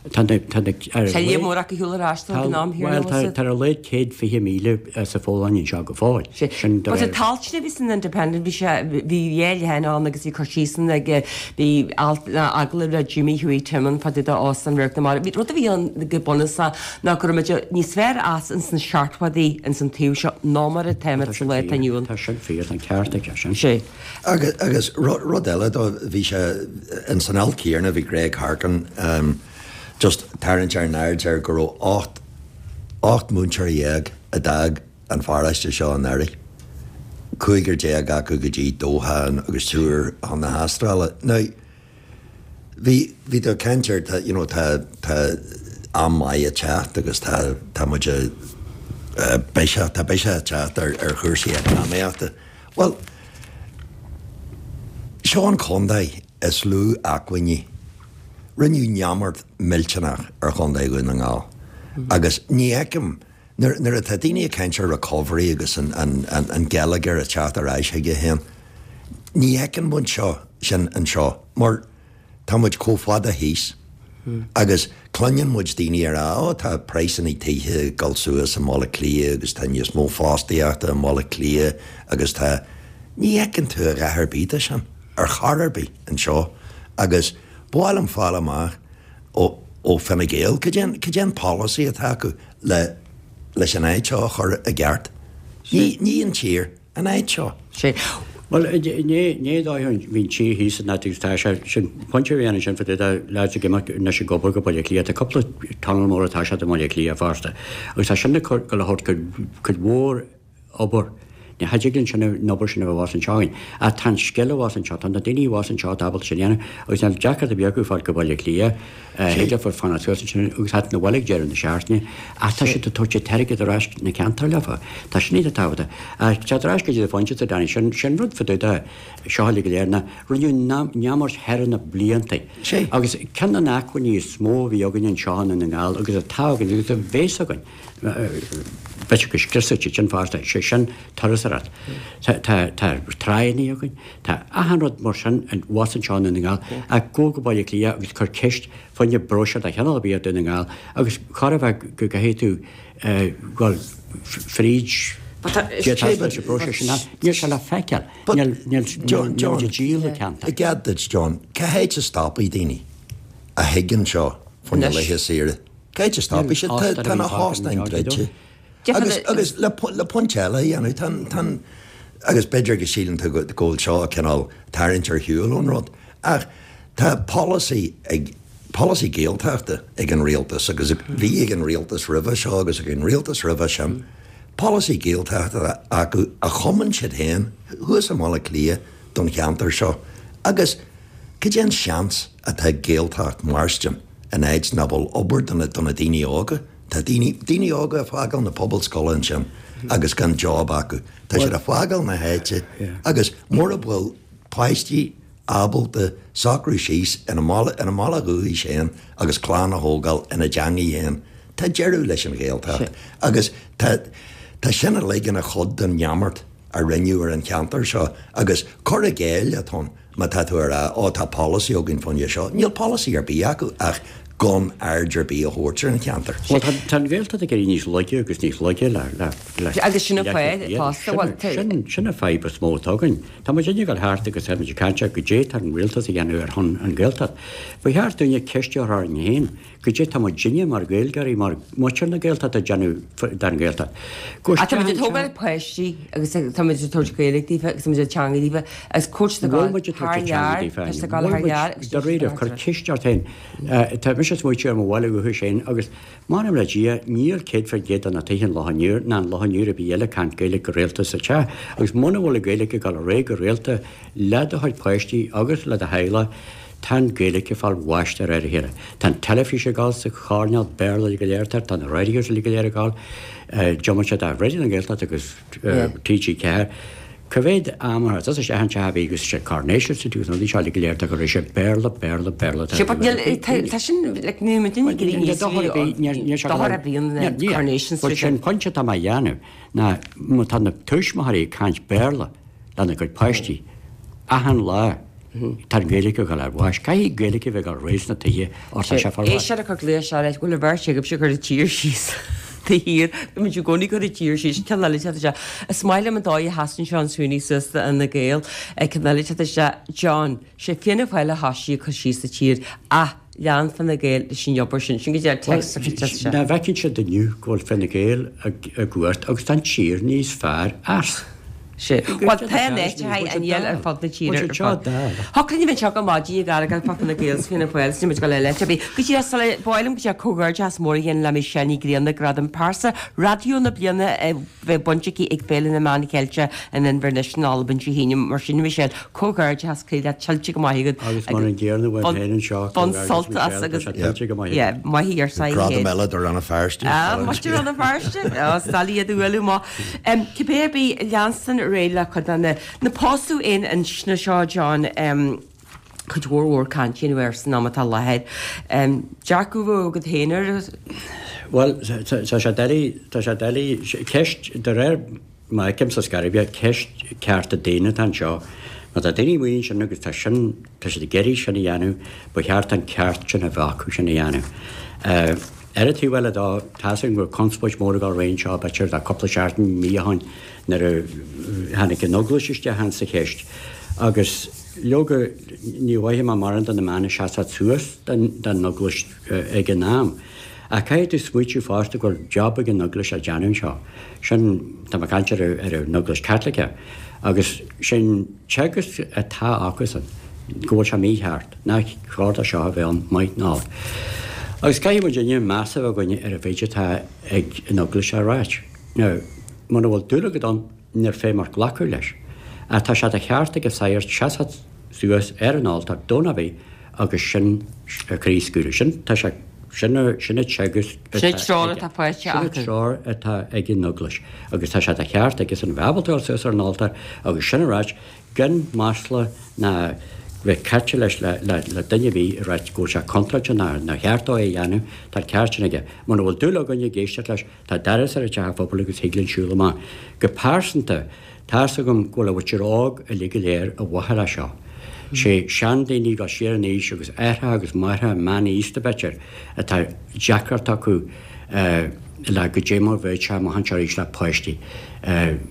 Tá na, tá na, ar a Tá líon mór acu ar shiúl ar ais ag an am chéanna, bhuel, tá ar a laghad 120,000 sa Pholainn anseo go fóill. Sin de réir. But an t-alt sin a bhí san Independent, bhí sé, bhí dhá leathanach ann agus bhí cur síos ann ag, bhí alt, agallamh le Jimmy Hughie Tim ann fá dtaobh de Óstán Radharc na Mara. Bhí rud a bhí ann go bunúsach ná go raibh muid níos fearr as ins na seachtóidí ins an taobh seo ná mar atáimid sa lá atá inniu ann. Tá sin fíor, tá an ceart aige sin. Sea. Agus, agus rud eile dó, bhí sé, ins an alt céanna bhí Greg Harkin just tarraingt ár n-aird air go raibh 18 múinteoir múinteoir a d'fhág an pharóiste seo anuraidh, cúigear déag acu go dtí Doha agus triúr chun na hAstráile. Now, Bhí, bhí tú ag caint ar, tá, you know, tá, tá am maith ag teacht agus tá, tá muid a, biseach, tá biseach ag teacht ar, ar chúrsaí eacnamaíochta. Bhuel, seo an contae is lú acmhainní. Rinneadh neamart millteanach ar Chontae Dhún na nGall agus ní fheicim, nuair, nuair atá daoine ag caint ar recovery agus an, an, an, an geilleagar ag teacht ar ais chuige féin, ní fheiceann muid seo, sin anseo mar tá muid chomh fada thíos agus cluineann muid daoine ag rá ó tá praghsanna tithe ag dul suas i mBaile Átha Cliath agus tá níos mó fostaíochta i mBaile Átha Cliath agus tá, ní fheiceann tú a dhath ar bith de sin ar chor ar bith anseo agus ba mhaith liom fáil amach ó, ó Fine Gael cad é an, cad é an polasaí atá acu le, leis an áit seo a chur i gceart. Ní, ní an tír. An áit seo. Sea. Bhuel, ní dóigh an bhí an tír thíos in áit agus tá sé sin, pointe a bhí ann ansin fá dtaobh de leaids ag imeacht anois ag obair go Baile Átha Cliath. Tá cúpla tunnel mór atá siad i mBaile Átha Cliath fosta agus tá sin ag cur, ag dul a thabhairt cuid, cuid mhór obair. Ní thig linn sin an obair sin a bheith abhus anseo againn. Ach tá an scil abhus anseo, tá na daoine abhus anseo atá ábalta sin a dhéanamh agus níl deacracht ar bith acu fáil go Baile Átha Cliath, thig leofa fanacht suas ansin agus theacht 'na bhaile ag deireadh na seachtaine ach tá siad ag tabhairt an t-airgead ar ais na ceantair leofa. Tá sin iontach tábhachtach. Ach teacht ar ais go dtí do phointe, Danny, sin, sin rud fá dtaobh de seo uilig go léir ná rinneadh neamart thar na blianta agus ceann de na hacmhainní is mó a bhí againn anseo i nDún na nGall agus atá againn agus a bheas againn, b'fhéidir go scriosfaidh siad sin fosta, sé sin turasóireacht. Tá tráigheanna againn, tá achan rud mar sin abhus anseo i nDún na nGall ach gabh go Baile Átha Cliath agus cuir ceist fá choinne bróisiúr de chineál ar bith ar Dhún na nGall agus chóir a bheith go gcaithfidh tú dhul fríd d'fhéadfá leis an bpróiseas sin ach níl sé le feiceáil. Níl níl John, níl muid ag díol na ceantar. I gcead duit John, cá háit a stopfaidh daoine a thig anseo fá choinne laetha saoire? Cá háit a stopfaidh siad? Tá na hóstáin druidte. Agus, agus le, le pointe eile a dhéanamh, tá an, tá an, agus b'fhéidir go síleann tú go, go bhfuil seo cineál tarraingt ar shiúl ón rud, ach tá polasaí ag, polasaí Gaeltachta ag an rialtas agus bhí ag an rialtas roimhe seo agus ag an rialtas roimhe sin, polasaí Gaeltachta acu a chumann siad féin thuas i mBaile Átha Cliath don cheantar seo agus cad é an seans atá ag Gaeltacht mairstin in áit nach bhfuil obair do na, do na daoine óga? Tá daoine, daoine óga ag fágáil na pobalscoile ansin agus gan job acu. Tá siad ag fágáil na háite agus mura bhfuil páistí ábalta socrú síos ina mbaile, ina mbaile dhúchais féin agus clann a thógáil ina dteangaidh féin, tá deireadh leis an Ghaeltacht. Agus tá, tá sin uilig ina chuid den neamart a rinneadh ar an cheantar seo agus cur i gcéill atá ann má tá tú ag rá 'Ó tá polasaí againn fá choinne seo'. Níl polasaí ar bith acu ach gan aird ar bith a thabhairt ar an cheantar. Bhuel tá, tá an Ghaeltacht ag éirí níos laige agus níos laige le, le, le Agus sin an fáth fosta, bhuel, tá. Sin, sin an fadhb is mó atá againn. Tá muid ag dul thart agus tá muid ag caint ar goidé tá an rialtas a dhéanamh ar shon an Ghaeltacht. Ba cheart dúinne ceist a chur orainn féin, goidé tá muidinne mar Ghaeilgeoirí, mar muintir na Gaeltachta ag déanamh don Ghaeltacht. Go Ach tá muid ag tógáil páistí agus tá muid ag tabhairt Gaeilge daofa agus tá muid ag teanga daofa agus cuairt ag Bhfuil muid ag tabhairt an teanga daofa? Tá siad ag dul thar lear agus Dáiríre, cuir ceist ort féin. Tá mise ag smaoitiú ar mo bhaile dhúchais féin agus M'anam le Dia, níl 100% de na tithe in Loch an Iúir ná in Loch an Iúir ar bith eile ag caint Gaeilge go rialta sa teach, agus muna bhfuil an Ghaeilge ag dul ar aghaidh go rialta le do chuid páistí agus le do theaghlach, tá an Ghaeilge ag fáil bháis de réir a chéile. Tá an teilifís ag dul sa choirnéal, Béarla uilig go léir atá air, tá na radios uilig go léir ag dul, diomaite de Raidió na Gaeltachta agus TG4. Cá mhéad am a thuas isteach an teach a bhí agus sé Coronation Street agus na rudaí seo uilig go léir tá go raibh sé Béarla, Béarla, Béarla Sé but níl tá sin like níl muid ag iarraidh níos mó dochar a bhíonn le Coronation Street. But sé an pointe atá mé a dhéanamh ná má tá na tuismitheoirí ag caint Béarla lena gcuid páistí achan lá tá an Ghaeilge ag dul ar bháis. Caithfidh Gaeilge a bheith ag dul ar aghaidh sna tithe or tá sé fár bháis. Éisteoir ag cur glaoch isteach leis, bhfuil an bheirt agaibhse ag cur an tír síos de shíor, bímid i gcónaí ag cur an tír síos, ceann eile teacht isteach. Is maith liom an dóigh a sheasann Seán Sweeney suas do Fhine Gael. Ceann eile teacht isteach, John, sé Fianna Fáil a thoisigh ag cur síos an tír ach lean Fine Gael leis an obair sin. Sin go dtí text a chur isteach. Nach bhfeiceann siad inniu go bhfuil Fine Gael i gcumhacht agus tá an tír níos fearr as. Sea. Bhuel, tá an áit a haghaidh an fhial ar fud na tíre ar fad. Thiocfadh linn a bheith anseo go maidin ag argóint fá Fine Gael 's Fianna Fáil 's níl muid ag dul eile áit ar bith. Go díreach sula ba mhaith liom go díreach comhghairdeachas mór a dhéanamh le Michelle Ní Ghrianna, Gradam Pearsa Raidió na Bliana a bheith bainte aici ag Féile na Meán Cheilteach in Inbhir Nis in Albain Dé hAoine. Mar sin, Michelle, comhghairdeachas croí leat, tuillte go maith agat. Agus mar an gcéanna uaim féin anseo, Bain sult as agus tá sé tuillte go maith agat. Yeah, maith í ar said Gradam eile do Rann na Feirste. Ah, muid i Rann na Feirste. Ó, is doiligh iad a bhualadh amach. Cibé ar bith, leanstan ar aghaidh le cuid de na, na pósadh aon inscne seo, John, cuid mhór mhór cainte a dhéanamh air san am atá i láthair. Dearcadh a bheadh agat féin air? Bhuel, tá sé doiligh, tá sé doiligh, ceist, de réir mar a fheicimse scor ar bith, ceist cearta daonna atá anseo. Má tá daoine amuigh ansin agus tá sin, tá siad ag iarraidh sin a dhéanamh, ba cheart an ceart sin a bheith acu sin a dhéanamh. Ar an taobh eile dó, tá's againn go raibh conspóid mhór ag dul ar aghaidh anseo, b'fhéidir, le cúpla seachtain, mí ó shin, nuair a tháinig an Eaglais isteach in sa cheist. Agus leoga, ní mhaithfidh mé mórán de na meáin a seasamh suas don Eaglais ag an am. Ach caithfidh tú smaoitiú fosta go bhfuil job ag an Eaglais le déanamh anseo. Sin, tá mé ag caint ar an Eaglais Chaitliceach. Agus sin teagasc atá acusan, go bhfuil sé mícheart, nach chóir do seo a bheith ann, maith ná olc. Agus caithfidh muidinne meas a bheith againne ar an mhéid atá ag an Eaglais a ráit. Now, muna bhfuil dúil agat ann, níor féidir glacadh leis. Ach tá sé de cheart ag an sagart seasamh suas ar an altóir Domhnach ar bith agus sin a chraobhscaoileadh. Sin, tá sé, sin a, sin an teagasc atá Sin an treoir atá faighte Sin an acu. treoir atá ag an Eaglais agus tá sé de cheart aigesan a bheith ábalta dul suas ar an altóir agus sin a ráit gan masla ná bheith caite leis le, le, le duine ar bith ag ráit go bhfuil sé contráilte ná nár cheart dó é a dhéanamh, tá an ceart sin aige. Muna bhfuil dúil againn ag éisteacht leis, Tá doras ar an teach phobail agus thig linn siúl amach. Go pearsanta, tá's agam go bhfuil an mhuintir óg uilig go léir i bhfábhar é seo. Sé seandaoine ag dul siar in aois agus aithreacha agus máithreacha meánaosta b'fhéidir atá deacracht acu le goidé mar bheadh sé amach anseo arís le páistí.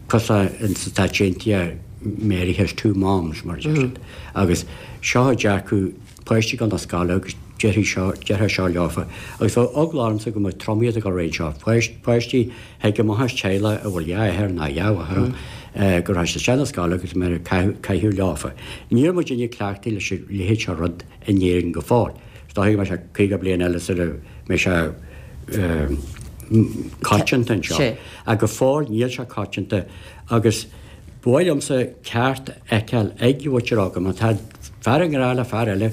Cosúil le in sna Stáit Aontaithe Mary has two moms mar a deir siad. Agus seo an dearcadh páistí ag dul na scoile agus déarfaidh seo, déarfadh seo leofa. Agus bheadh eagla ormsa go mbeadh tromaí ag dul roimhe seo. Páistí a thig amach as teaghlach a bhfuil dhá athair ná dhá mháthair ann, go raibh siad isteach na scoile agus mbeadh caitheamh leofa. Níl muidinne cleachtaithe leis an leithéid seo rud in Éirinn go fóill. Is dóigh go mbeidh sé 50 bliain eile sula mbeidh sé coitianta anseo. Ach go fóill níl sé coitianta agus Ba mhaith liomsa ceart a fheiceáil ag mhuintir óga. Má tá fear i ngrá le fear eile,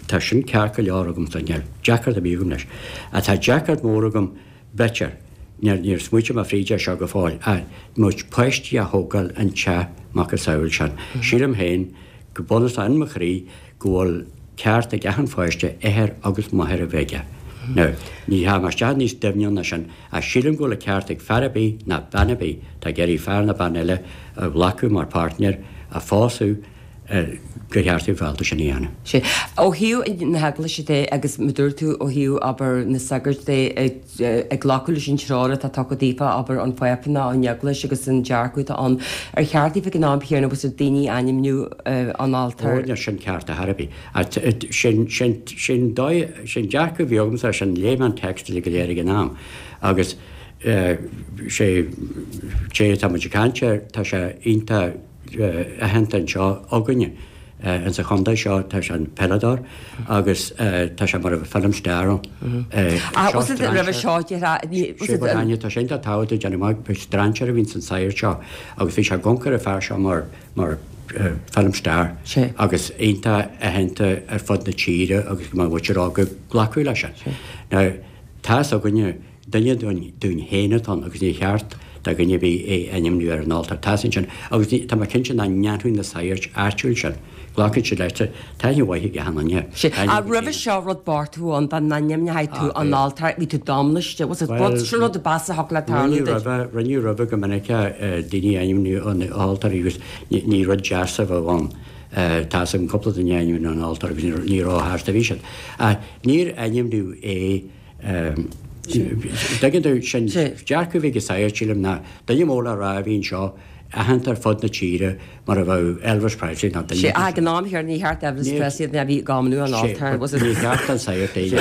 tá sin ceart go leor agamsa, níl deacracht ar bith agam leis. Ach tá deacracht mór agam, b'fhéidir, níor, níor smaoitigh mé fríd é seo go fóill, ach muid páistí a thógáil an teach macasamhail sin. Sílim féin, go bunúsach in mo chroí, go bhfuil ceart ag achan pháiste athair agus máthair a bheith aige. Now, ní theachaidh mé isteach níos doimhne ná sin, ach sílim go bhfuil an ceart ag fear ar bith ná bean ar bith atá ag iarraidh fear ná bean eile a ghlacadh mar páirtnéir, a phósadh, gur cheart dóibh fáilte sin a dhéanamh. Sea. Ó thaobh na hEaglaise de, agus mar dúirt tú ó thaobh, abair, na sagairt de, ag glacadh leis an treoir atá tugtha daofa, abair, ón Phápa ná ón Eaglais agus an dearcadh atá ann, ar cheart daofa ag an am chéanna bhfuil daoine a ainmniú an altóir? Ó, níl sin ceart ar chor ar bith. Sin, sin, sin dóigh, sin dearcadh a bhí agamsa sin, léigh mé an téacs uilig go léir ag an am agus sé, té atá muid ag caint air, tá sé iontach aitheanta anseo againne ins an chontae seo, tá sé ina pheileadóir agus tá sé mar a bheadh film star ann. Ach was it roimhe seo, déarfá, was it. Sé tá sé iontach tábhachtach déanamh amach, ba strainséir a bhí ins an sagart seo agus bhí sé ag amharc ar an fear seo mar, mar film star agus iontach aitheanta ar fud na tíre agus go mbeadh muintir óg ag glacadh leis sin. Now, tá's againne, Duine dúinn féin atá ann agus níor cheart do dhuine ar bith é a ainmniú ar an altóir. Tá's ansin agus tá mé cinnte nach ndéanfadh na saghairt áitiúil sin. Glacfaidh siad leis. Tá aithne mhaith ag achan duine. Sea. Ach roimhe seo rud bocht a bhí ann dá n-ainmneofaí tú an altóir, bhí tú domliste. Was it rud, sin rud a b'fhearr a thiocfadh le tarlú duit? Rinneadh roimhe, rinneadh roimhe go minic daoine a ainmniú an altóir agus ní rud deas a bheadh ann. Tá's agam cúpla duine a ainmniú an altóir agus ní róshásta a bhí siad. Ach níor ainmníodh é Tuigeann tú, sin dearcadh a bhí ag an sagart, sílim, ná duine mór le rá a bhí anseo, aitheanta ar fud na tíre mar a bheadh Elvis Presley ná duine Sea, ach ag an am chéanna ní cheart Elvis Presley a bhí ag ainmniú an altóir, was it? Ní cheart don sagart é a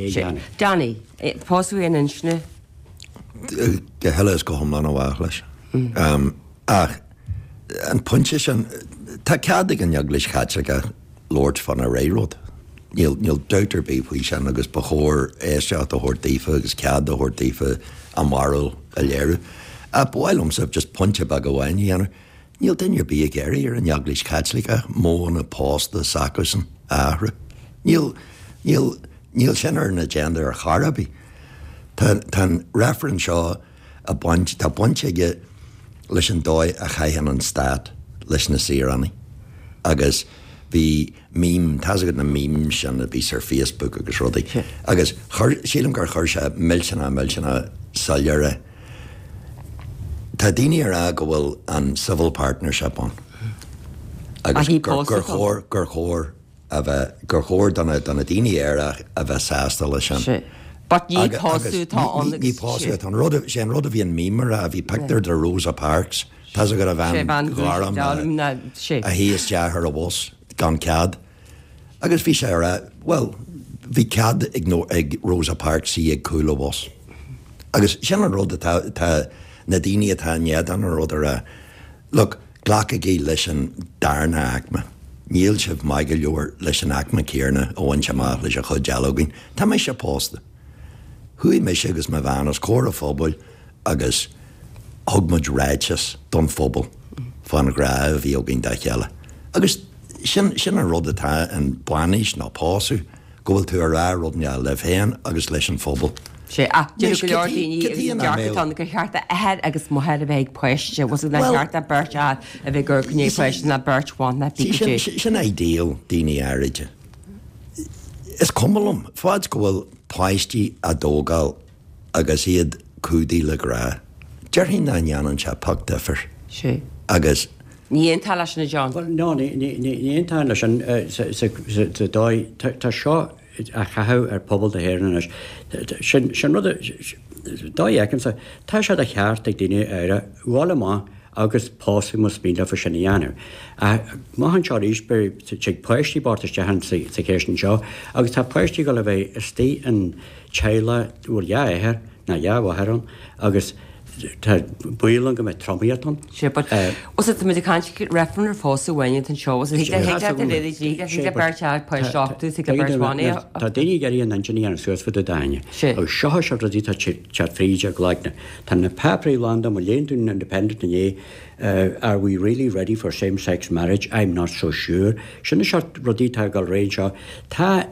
dhéanamh. Danny, pósadh aon inscne? Go huile is go hiomlán i bhfách leis. Ach an pointe sin, tá cead ag an Eaglais Chaitliceach labhairt fána rogha rud. Níl, níl dabht ar bith faoi sin agus ba chóir éisteacht a thabhairt daofa agus cead a thabhairt daofa a mbarúil a léiriú. Ach ba mhaith liomsa just pointe beag amháin a dhéanamh. Níl duine ar bith ag iarraidh ar an Eaglais Chaitliceach modhanna pósta s'acusan a athrú. Níl, níl, níl sin ar an agenda ar chor ar bith. Tá, tá an reifreann seo a baint, tá baint aige leis an dóigh a chaitheann an stát leis na saoránaigh agus bhí meme, tá's agat na memes sin a bhíos ar Facebook agus rudaí agus chuir, sílim gur chuir sé millteanach millteanach soiléir é. Tá daoine ag rá go bhfuil an civil partnership ann agus gur chóir, gur chóir a bheith, gur chóir do na, do na daoine aeracha a bheith sásta leis sin. Sea. But ní pósadh atá ann agus. Ní pósadh atá ann. Rud, sé an rud a bhí an meme a rá, bhí pictiúr de Rosa Parks, tá's agat an bhean ghorm a, a shuigh isteach ar an bhus gan cead. Agus bhí sé a rá, bhuel, bhí cead ag, ag Rosa Parks suí ag cúl an bhus. Agus sin an rud atá, atá na daoine atá in éadan an rud a rá. Look, glacaigí leis an darna aicme. Níl sibh maith go leor leis an aicme céarna a bhaint amach leis an chuid eile againn. Tá mise pósta. Chuaigh mise agus mo bhean os comhair an phobail agus. Thug muid ráiteas don phobal fán ghrá a bhí againn dá chéile. Agus sin, sin an rud atá in bainis nó pósadh, go bhfuil tú a rá rud inteacht libh féin agus leis an phobal. Sea, ach deir go leor daoine agus an dearcadh atá ann gur cheart athair agus máthair a bheith ag páiste, bhfuil a fhios agat nár cheart beirt fhear a bheith ag amharc i ndiaidh páiste ná beirt bhan ná fichidí. Sin ideal daoine áiride. Is cuma liom, fad go bhfuil páistí á dtógáil agus iad cumhdaithe le grá. Déarfainn nach ndéanann sé pioc difir. Sea. Agus. Ní aontófá leis sin, a John. Bhuel, no, ní aontóinn leis sin sa dóigh, tá seo á chaitheamh ar phobal na hÉireann anois. Sin, sin rud a, dóigh a fheicimse, tá sé de cheart ag daoine áirithe dhul amach agus pósadh más mian leofa sin a dhéanamh. Ach amach anseo arís, beidh, tig páistí bocht isteach sa cheist anseo agus tá páistí ag dul a bheith istigh in teaghlach a bhfuil dhá athair ná dhá mháthair ann agus tá baol ann go mbeidh tromaíocht ann. Sea, but bhfuil a fhios agat, tá muid ag caint reifreann ar phósadh amháin atá anseo, bhfuil a fhios agat, thig leat a thig leat, thig le beirt fhear páiste a uchtú, thig le beirt bhan é a. Tá daoine ag iarraidh a n-intinn a dhéanamh suas fá dtaobh d'ainne. Agus seo is rudaí atá ag teacht fríd a gcloigne. Tá na páipéirí lán de, má léann tú an Independent inné, Are we really ready for same sex marriage? I'm not so sure. Sin na seort rudaí atá ag dul ar aghaidh anseo. Tá,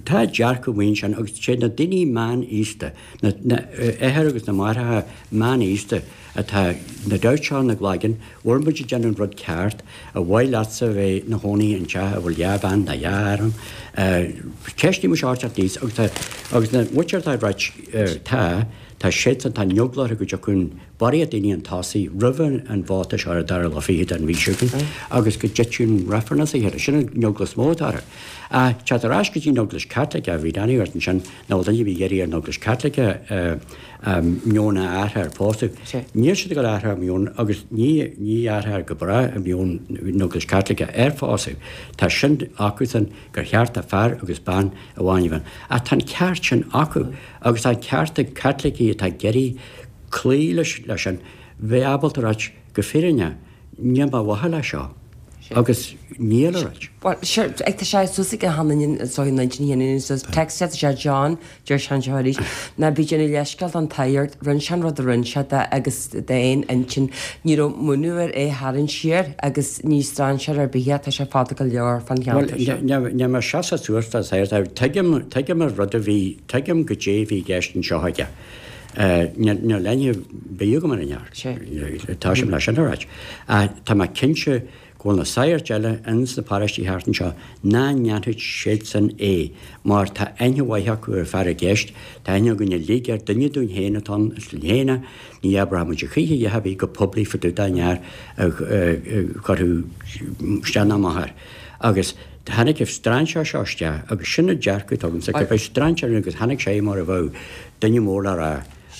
tá dearcadh amuigh ansin agus sé na daoine meánaosta, na, na athair agus na máithreacha meánaosta atá na doubts seo ina gcloigeann, bhfuil muid ag déanamh an rud ceart, ar mhaith leatsa a bheith ina chónaí in teach a bhfuil dhá bhean nó dhá fhear ann? Ceist mo seort teacht aníos agus tá, agus na muintir atá ag ráit tá, tá siadsan, tá an eagla orthu go dtiocfaidh an barraíocht daoine chun tosaigh roimh an vóta seo ar an dara lá fichead den mhí seo chugainn agus go dtitfidh an reifreann as a chéile. Sin an eagla is mó atá orthu. Ach teacht ar ais go dtí an Eaglais Chaitliceach, bhí Danny ort ansin nach bhfuil duine ar bith ag iarraidh ar an Eaglais Chaitliceach a meon a athrú ar phósadh. Níl siad ag dul a athrú a meon agus ní ní athrófar go bráth a meon an Eaglais Chaitliceach ar phósadh. Tá sin acusan gur cheart do fear agus bean amháin a bheith ann. Ach tá an ceart sin acu agus tá an ceart ag Caitlicigh atá ag iarraidh cloí leis sin, bheith ábalta a ráit go fírinneach, níl mé ar mhaithe leis seo agus níl a ráit. Bhuel, sure, ag tá sé suas ag an an so 19 text sé sé John, deir sé anseo arís, ná bí ag déanamh leithscéal don tsagart, rinne sé an rud a rinne sé de agus d'aon intinn, ní raibh múineadh air é a tharraingt siar agus ní strainséir ar bith é, tá sé fada go leor fán cheantar seo. Bhuel, níl mé ag seasamh suas don sagart, tuigim, tuigim an rud a bhí, tuigim goidé a bhí i gceist anseo aige. Níl aithne ar bith agam ar an fhear. Tá sé leis sin a ráit. Ach tá mé cinnte go bhfuil na sagairt eile ins na paróistí thart anseo nach ndéanfadh siadsan é mar tá aithne mhaith acu ar an fear i gceist, tá aithne againn uilig air, duine dúinn féin atá ann, is linn féin é, ní abróidh muid a choíche a dhath ar bith go poiblí fá dtaobh den fhear a chuirfeadh isteach ná amach air. Agus tháinig an strainséir seo isteach agus sin an dearcadh atá agamsa, gurb é strainséir agus tháinig sé mar a bheadh duine mór le rá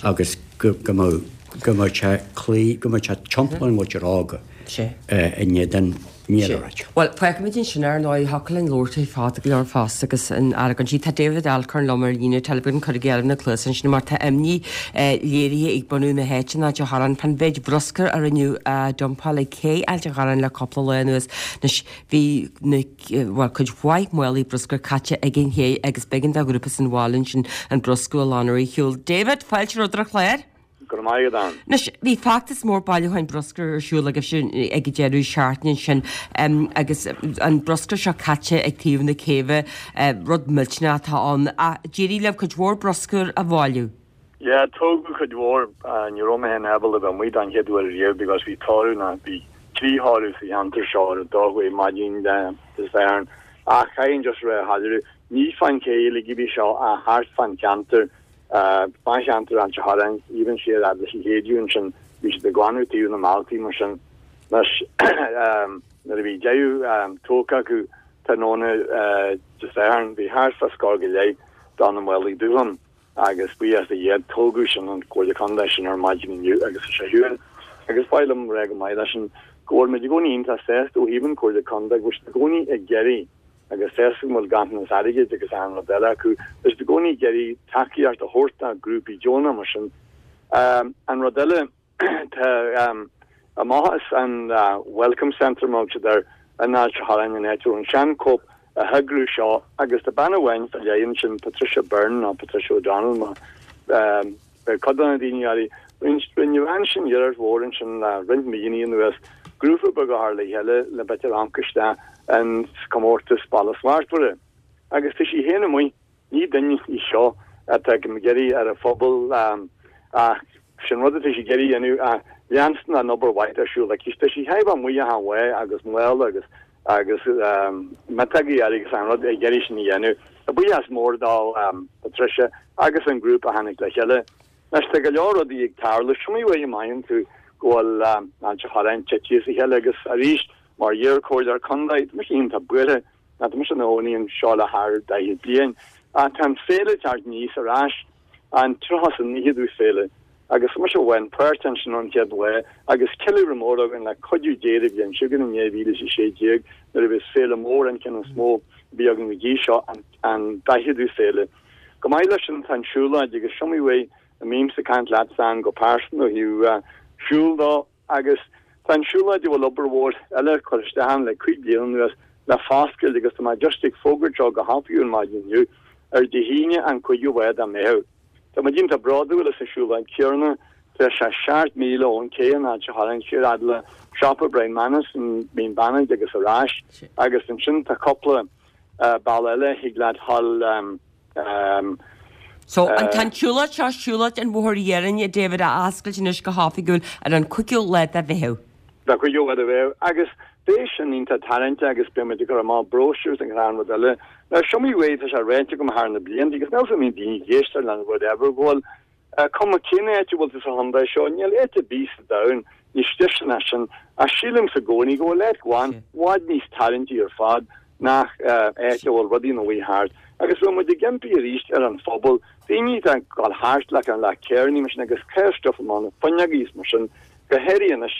agus go mbeadh, go mbeadh sé cloí, go mbeadh sé timpeall an mhuintir óga in éadan níl a ráit. Bhuel, fágfaimid ansin ar ndóigh, thiocfadh linn labhairt fada go leor fosta agus an argóint. Tá David Alcorn liom ar líne teileafóin, cuirigí oraibh na cluasa ansin mar tá imní léirithe ag bunadh na háite in Ailt an Chorráin fán mhéid bruscair a rinneadh a dumpáil ag cé Ailt an Chorráin le cúpla lá anuas. Anois bhí na, bhuel, cuid mhaith málaí bruscair caite ag an ché agus b'éigean do ghrúpa san bhaile ansin an bruscar a ghlanadh ar shiúl. David, fáilte romhat ar an chlár. Go raibh maith agat, Ann. Anois, bhí feachtas mór bailiúcháin bruscair ar siúl agaibhse ag an deireadh seachtaine ansin agus an bruscar seo caite ag taobh na céibhe, rud millteanach atá ann. Ach d'éirigh libh cuid mhór bruscair a bhailiú. Yeah, tógadh cuid mhór. Ní raibh mé féin ábalta bheith amuigh don chéad uair riamh because bhí tórramh ná bhí trí thórramh sa cheantar seo ar an dá chuaigh maidin Dé Sathairn. Ach caithfidh just rá a shoiléiriú, ní fán ché uilig a bhí seo ach thart fán cheantar, fán cheantar Ailt an Chorráin, even siar fhad leis an Chéideadh ansin, bhí siad ag glanadh taobh na mbealtaí mar sin. Anois nuair a bhí deireadh tógtha acu tráthnóna Dé Sathairn, bhí thart fá scór go leith de na málaí dubha ann. Agus buíochas do Dhia, tógadh sin an Comhairle Contae sin ar maidin inniu agus tá sé ar shiúl. Agus ba mhaith liom rá go maith leis sin go bhfuil muid i gcónaí iontach sásta ó thaobh an Comhairle Contae go bhfuil siad i gcónaí ag iarraidh agus sásta go bhfuil ganntanas airgid agus achan rud eile acu, tá siad i gcónaí ag iarraidh tacaíocht a thabhairt do ghrúpaí deonacha mar sin. An rud eile, Tá amach as an Welcome Centre, mar a thug siad air, in Ailt an Chorráin, an áit a raibh an sean-Coop a heagrú seo agus tá bean amháin fá leith ansin, Patricia Byrne nó Patricia O'Donnell mar beidh cuid de na daoine uirthi. Rinne an bhean sin iarracht mhór ansin le roinnt míonna anuas grúpa beag a chur le chéile le b'fhéidir amharc isteach in comórtas Baile Slachtmhara. Agus tá sí féin amuigh, ní duine í seo atá ag iarraidh ar an phobal ach sin rud atá sí ag iarraidh a dhéanamh ach leanstan an obair mhaith ar siúl aici. Tá sí chaitheamh amuigh achan lá agus mála agus agus miotógaí air agus an rud ag iarraidh sin a dhéanamh. Buíochas mór do Patricia agus an grúpa a tháinig le chéile. Anois tá go leor rudaí ag tarlú. Is iomaí uair a mothaíonn tú go bhfuil Ailt an Chorráin tite as a chéile agus arís mar iar-chomhairleoir contae, tá mise iontach buartha ná tá mise i mo chónaí anseo le thar 40 bliain. Ach tá an féile ag teacht aníos ar ais, an 39ú féile, agus tá mise bhain páirt ansin ón chéad lá agus ceiliúradh mór againn le cuidiú Dé an bhliain seo chugainn in 2016 nuair a bheas féile mór an ceann is mó a bhí againn go dtí seo, an 40ú féile. Chomh maith leis sin tá an siúlóid agus is iomaí uair a mbímse ag caint leatsa ann go pearsanta ó thaobh siúl dó agus tá an siúlóid a bhfuil obair mhór eile curtha isteach ann le cúig bliana anuas le foscailt agus tá mé just ag fógairt seo go hoifigiúil maidin inniu ar Dé hAoine an 5ú lá de Mheitheamh. Tá muid iontach bródúil as an siúlóid chéanna, tá sé 7 míle ón cé in Ailt an Chorráin siar fhad le siopa Brian Manus in Mín Bannaigh agus ar ais agus ansin tá cúpla bealach eile thig leat dhul So, an tá an tsiúlóid seo, siúlóid an Bhóthair Iarainn, a David, á oscailt anois go hoifigiúil ar an 5ú lá de Mheitheamh. De 5ú lá de Mheitheamh. Agus beidh sin iontach tarraingteach agus beidh muid ag cur amach bróisiúir agus an rud eile. Now, is iomaí uair atá sé ráite agam thar na blianta agus níl 's agam an mbíonn daoine ag éisteacht lena whatever go bhfuil Cuma cén áit a bhfuil tú sa chontae seo, níl áit ar bith sa domhan níos deise ná sin, ach sílimse i gcónaí go bhfuil áit ghlan i bhfad níos tarraingtí ar fad ná áit a bhfuil rudaí ina luí thart. Agus bhfuil muid ag impí arís ar an phobal, daoine atá ag dul thart le le carrannaí mar sin agus cur stuif amach na fuinneogaí is mar sin, go háirithe anois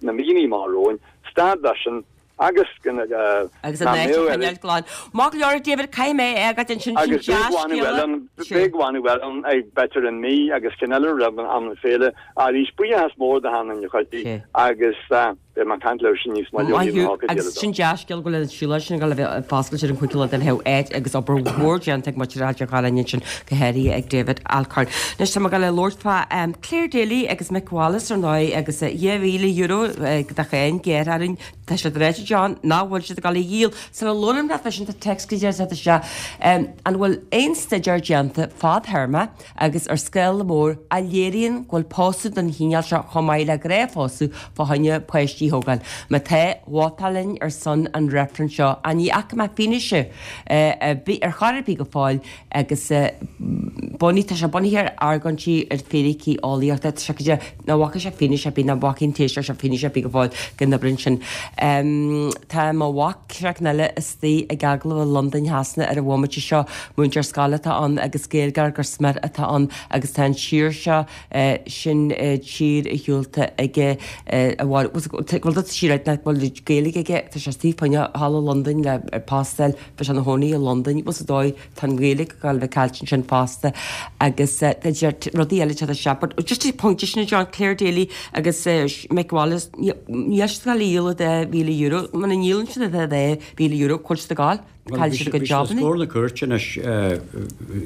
na míonna amach romhainn, stad de sin Agus agus an áit a choinneáil glan. Maith go leor, a David, caithfidh mé é fhágáil ansin, sin Agus beidh glanadh eile ann, beidh glanadh eile ann ag b'fhéidir in mí agus ceann eile roimh am na féile. Arís, buíochas mór do achan duine a chuidigh agus beidh mé ag caint libhse níos moille ó thaobh na hócáide eile de. Sin dea-scéal go bhfuil an siúlóid sin ag dul a bheith foscailte ar an 5ú lá de Mheitheamh áit agus obair mhór déanta ag muintir Ailt an Chorráin ansin, go háirithe ag David Alcorn. Anois tá mé ag dul a labhairt fá Clare Daly agus Mick Wallace ar ndóigh agus €2,000 de cháin gearrtha orainn Tá siad ráite John nach bhfuil siad ag dul a dhíol. Sula labhraím leat fá sin tá téacs go dtí isteach. An bhfuil aon staidéar déanta fadthéarma agus ar scála mór a léiríonn go bhfuil pósadh den chineál seo chomh maith le gnáthphósadh fá choinne páistí a thógáil? Má tá, vótálfainn ar son an reifrinn seo. Ach ní fhaca mé fianaise ar bith ar chor ar bith go fóill agus bunaithe, tá sé bunaithe ar argóintí ar fíricí eolaíochta. Tá sé go dtí Nach bhfaca sé fianaise ar bith, nach bhfaca an Taoiseach seo fianaise ar bith go fóill go n-oibríonn sin. Tá mo mhac, seachtain eile, istigh ag agallamh i Londain Shasana ar an bhomaite seo. Múinteoir scoile atá ann agus Gaeilgeoir go smior atá ann agus tá an tír seo, sin tír a shiúlta aige a bhfuil bhfuil tír nach bhfuil Gaeilge aige, tá sé istigh fá choinne thall i Londain le postáil, tá sé ina chónaí i Londain, bhfuil sa dóigh Tá an Ghaeilge ag dul a bheith caillte ansin fosta agus rudaí eile ag teacht isteach. But just an pointe sin John, Clare Daly agus Mick Wallace, níl siad ag dul a dhíol ar €2,000. Muna ndíolann siad ar €2,000, cá bhfuil siad ag dul? Caillfidh siad a gcuid jabanna. Bhí siad os comhair na cúirte anois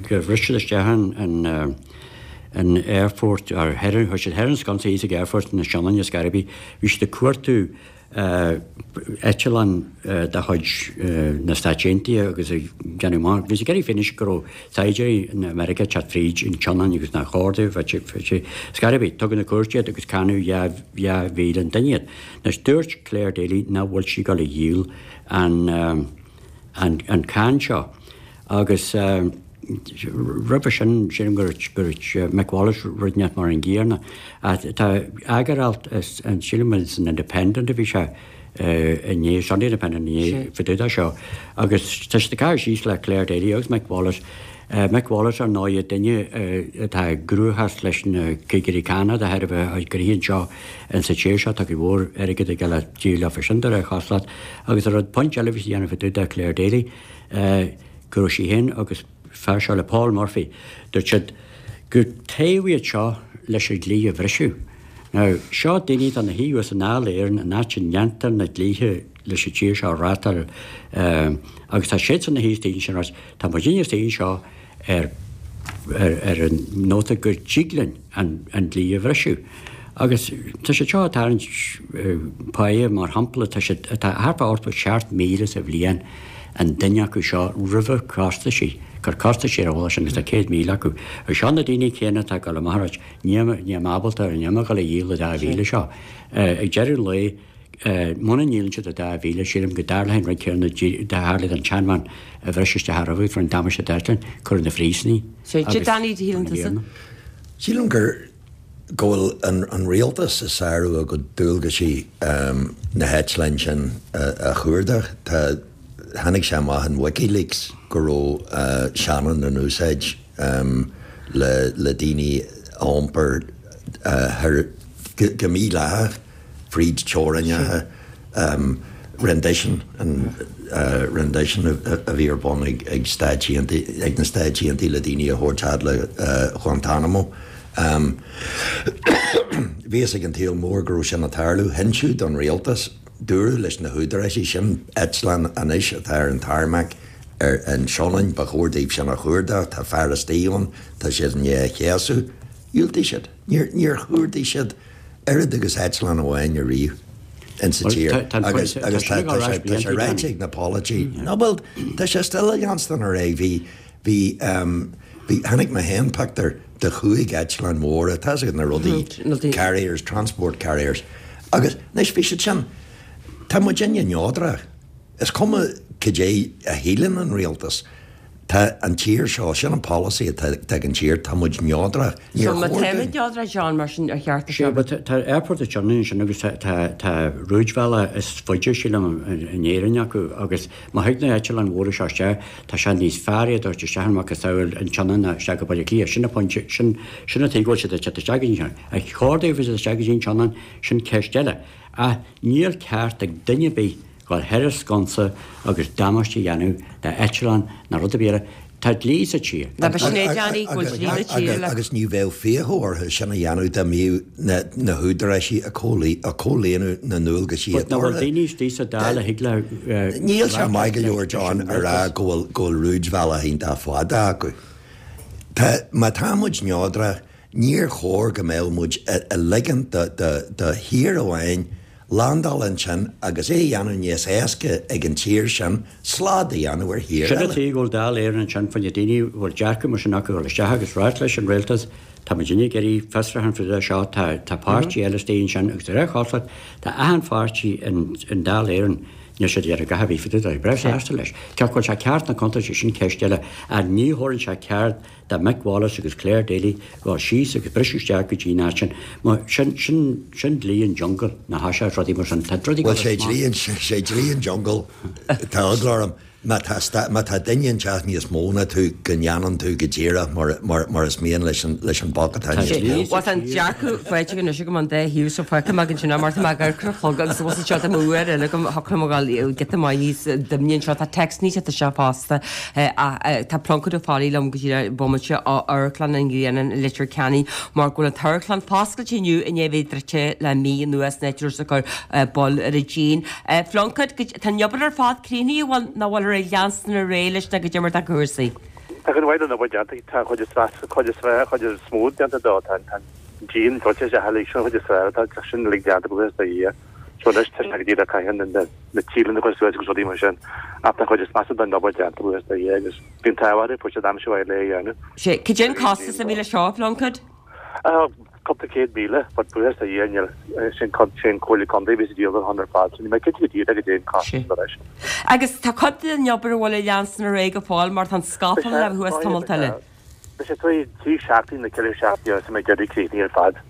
gur bhris siad isteach an an aerfort, or chuir siad thoir an sconsa thíos ag aerfort na Sionainne is Gairibí, bhí siad ag cuartú eitleán de chuid na Stáit Aontaithe agus ag déanamh amach, bhí siad ag iarraidh fianaise go raibh saighdiúirí na Meiriceá ag teacht fríd an tSionainn agus nár chóir dóibh bheith ar scor ar bith. Tugadh na cúirte iad agus cáineadh 2,000 an duine iad. Anois dúirt Clare Daly nach bhfuil sí ag dul a dhíol an an cáin seo agus roimhe sin sílim go raibh Mick Wallace rud inteacht mar an gcéanna. Tá eagaralt sílim san Independent a bhí sé inné, Sunday Independent inné fá dtaobh de seo agus tá siad ag caitheamh síos le Clare Daly agus Mick Wallace. Mick Wallace ar ndóigh duine atá i gcruachás leis na cigirí cánach de thairbhe a gnoithe anseo in sa tír seo tá cuid mhór airgid ag dul a díol leofa sin de réir chosúlacht agus an rud pointe eile a bhí siad a dhéanamh fá dtaobh de Clare Daly go raibh sí féin agus fear seo le Paul Murphy dúirt siad gur toghadh iad seo leis an dlí a bhriseadh. Now seo daoine atá ina shuí thuas i nDáil Éireann an áit a ndéantar na dlíthe leis an tír seo a reáchtáil agus tá siadsan ina shuí istigh ansin ag ráit tá muidinne istigh anseo ar. ar an nóta go dtig linn an dlí a bhriseadh. Agus tá siad seo ag tarraingt páighe, mar shampla, tá siad, tá thart fá 87,000 sa bhliain an duine acu seo roimhe costaisí, cur costaisí ar a bhfuil sin agus tá 100,000 acu. Agus seo na daoine céanna atá ag dul amach ag ráit, níl mé ábalta, níl mé ag dul a dhíol an dá mhíle seo. Ag deireadh an lae, muna ndíolann siad an dá mhíle, sílim go dtarlóidh an rud céanna a tharla don tseanbhean a bhris isteach roimhe, fuair an damáiste d'eitleán, cuireadh na phríosúin í agus Danny, shíleann tusa? Sílim gur go bhfuil an rialtas ag sárú a gcuid dualgaisí na heitleáin sin a chuardach. Tá, tháinig sé amach in WikiLeaks go raibh Shannon in úsáid le le daoine a iompar thoir go mídhleathach fríd teorainneacha. Rendition, an rendition a bhí ar bun ag Stáit Aontaithe, ag na Stáit Aontaithe le daoine a thabhairt fhad le Guantanamo. Bhí fhios ag an tsaol mór go raibh sin ag tarlú. Hinseadh don rialtas, dúradh leis na húdaráisí, sin eitleán anois atá ar an tarmac ar an Sionainn, ba chóir daoibh sin a chuardach, tá fear istigh ann, tá siad i ndiaidh a chéasadh. Dhiúltaigh siad. Níor chuardaigh siad oiread agus eitleán amháin ariamh insa tír agus agus tá sé tá sé ráite ag na polaiteoirí no bhuel tá sé still ag leanstan ar aghaidh bhí bhí bhí tháinig mé féin pictiúr de chúig eitleán mhóra tá fhios agat na rudaí carriers transport carriers agus anois bhí siad sin tá muidinne neodrach is cuma cad é a shíleann an rialtas Tá an tír seo, sin an polasaí atá ag an tír, tá muid neodrach. Níor So má chóir táimid dúinn. neodrach, John, mar sin, ar cheart Sea, but tá airport an tSionainn ansin agus tá tá rúidbhealach is faide, sílim, in Éirinn acu agus má thig na heitleáin mhóra seo isteach, tá sé níos fearr iad a thabhairt isteach an macasamhail an tSionainn ná isteach go Baile Átha Cliath. Sin an pointe, sin sin an tuige go bhfuil siad ag teacht isteach go dtí an Tsionainn. Ar chóir dóibh a bheith isteach go dtí an tSionainn, sin ceist eile. Ach níl ceart ag duine ar bith dhul thar an sconsa agus damáiste a dhéanamh d'eitleán ná rud ar bith eile. Tá dlí sa tír. Ná ba sin é Danny, go bhfuil dlí sa tír le. Agus ní bheadh fiacha orthu sin a dhéanamh dá mbíodh na húdaráisí ag comhlíonadh na ndualgaisí atá orthu. But nach bhfuil daoine istigh sa Dáil a thig le Níl sé maith go leor John a rá go bhfuil go bhfuil rúidbhealach iontach fada acu. Tá, má tá muid neodrach, níor chóir go mbeadh muid ag ligint do do thír amháin landáil ansin agus é a dhéanamh níos éasca ag an tír sin slad a dhéanamh ar thír eile. Sin an tuige go bhfuil Dáil Éireann ansin fá choinne daoine a bhfuil dearcadh mar sin acu a dhul isteach agus ráit leis an rialtas, tá muidinne ag iarraidh fiosrúchán fá dtaobh seo, tá tá páirtí eile istigh ansin agus de réir chosúlacht tá achan pháirtí in in Dáil Éireann níl siad ag iarraidh a dhath ar bith fá dtaobh de, breá sásta leis. Cé acu bhfuil sé ceart nó contúirteach sin ceist eile ach ní thabharann sé ceart do Mick Wallace agus Clare Daly dhul síos agus briseadh isteach go dtí an áit sin. Mar sin, sin, sin dlí an jungle, nach ea, is rudaí mar sin. Tá rudaí Bhuel, sé dlí an, sé dlí an jungle, tá eagla orm, má tá, má tá duine inteacht níos mó ná tú, go ndéanann tú go díreach mar, mar, mar is mian leis an, leis an boc atá níos mó. Bhuel, tá an dearcadh faighte anois agam an dá thaobh so feicim ag ansin mar tá mé ag amharc ar an chlog agus bhfuil seo tá m'uair eile agam thiocfadh liom a dhul giota maith níos doimhne anseo. Tá text níos isteach fosta. Tá Pluincéad Ó Foghlaí liom go díreach bomaite ó Amharclann an Ghrianáin i Leitir Ceanainn mar go bhfuil an t-amharclann foscailte inniu i ndiaidh a bheith druidte le mí anuas an áit a raibh siad ag cur bail ar an díon. Phluincéid, tá an obair ar fad críochnaithe, an bhfuil, nó an bhfuilthear ag leanstan ar aghaidh leis nó goidé mar atá cúrsaí? Tá cuid mhaith den obair déanta, tá an chuid is measa, cuid is cuid is mó déanta dó, tá an díon druidte isteach uilig, sin an chuid is fearr atá, tá sin uilig déanta, buíochas do Dhia. So anois tá sé go díreach caithfidh na na tíleanna a chur suas agus rudaí mar sin. Ach tá an chuid is measa den obair déanta, buíochas do Dhia, agus bhí an t-ádh orthu, fuair siad aimsir mhaith le é a dhéanamh. Sé, cad é an costas a bhí leis seo, a Phluincéid? Cúpla 100,000, but buíochas do Dhia níl, sin sin Comhairle Contae a bhí sa díol ar ar fad, so níl mé cinnte go díreach cad é an costas Sé. anois. Agus tá cuid den obair a bhfuil ag leanstan ar aghaidh go fóill mar tá an scafall le bheith thuas tamalt eile. Beidh sé trí seachtaine nó ceithre seachtaine agus beidh deireadh críochnaithe ar fad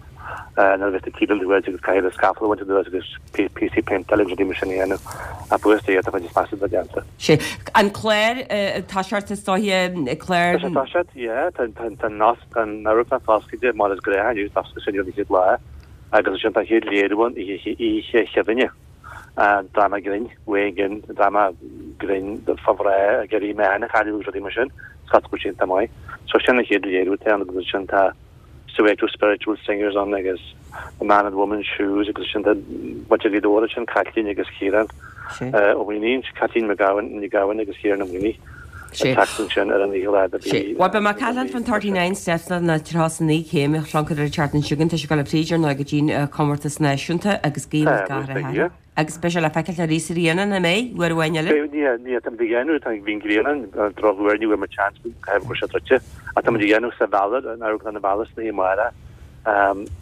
nuair a bheas na tíleanna thuas agus caithfidh an scafall a bhaint anuas agus píosaí péinteála agus rudaí mar sin a dhéanamh. Ach buíochas do Dhia tá an chuid is measa de déanta. Sé. An clár toiseacht is dóiche, clár. Tá sé toiseacht, yeah. Tá an tá an amharclann foscailte mar is gnách inniu, d'oscail sé inniu an chéad lá agus ansin tá an chéad léiriú ann oíche Oíche Chuimhne. Dráma grinn, Wayne Ginn, dráma grinn fá mhná ag iarraidh meáin a chailleadh agus rudaí mar sin, Scott go iontach maith. So sin an chéad léiriú atá ann agus ansin tá Soweto Spiritual Singers ann agus The Man in Woman's Shoes agus ansin tá muintir Ghaoth Dobhair ansin, Caitlín agus Ciarán Ó Maonaigh, Caitlín McGowan, Ní Ghabhann agus Ciarán Ó Maonaigh. An tseachtain sin ar an oíche lá do bhí. Bhuel, beidh mé ag caint leat faoin 39 Steps na 39 céim a Phluincéid ar an tseachtain seo chugainn. Tá sé ag dul tríd ar ndóigh go dtí'n comórtas náisiúnta agus guím gach rath air. Agus beidh sé le feiceáil arís i mbliana, nach mbeidh? Uair amháin eile? Beidh, ní, ní, táimid ag déanamh, tá, bhí an ghrian ann, drochuair, ní bhfuair muid seans, caithfidh go raibh sé druidte, ach táimid ag déanamh sa Mheallar, in Amharclann an Mhealair san oíche amárach,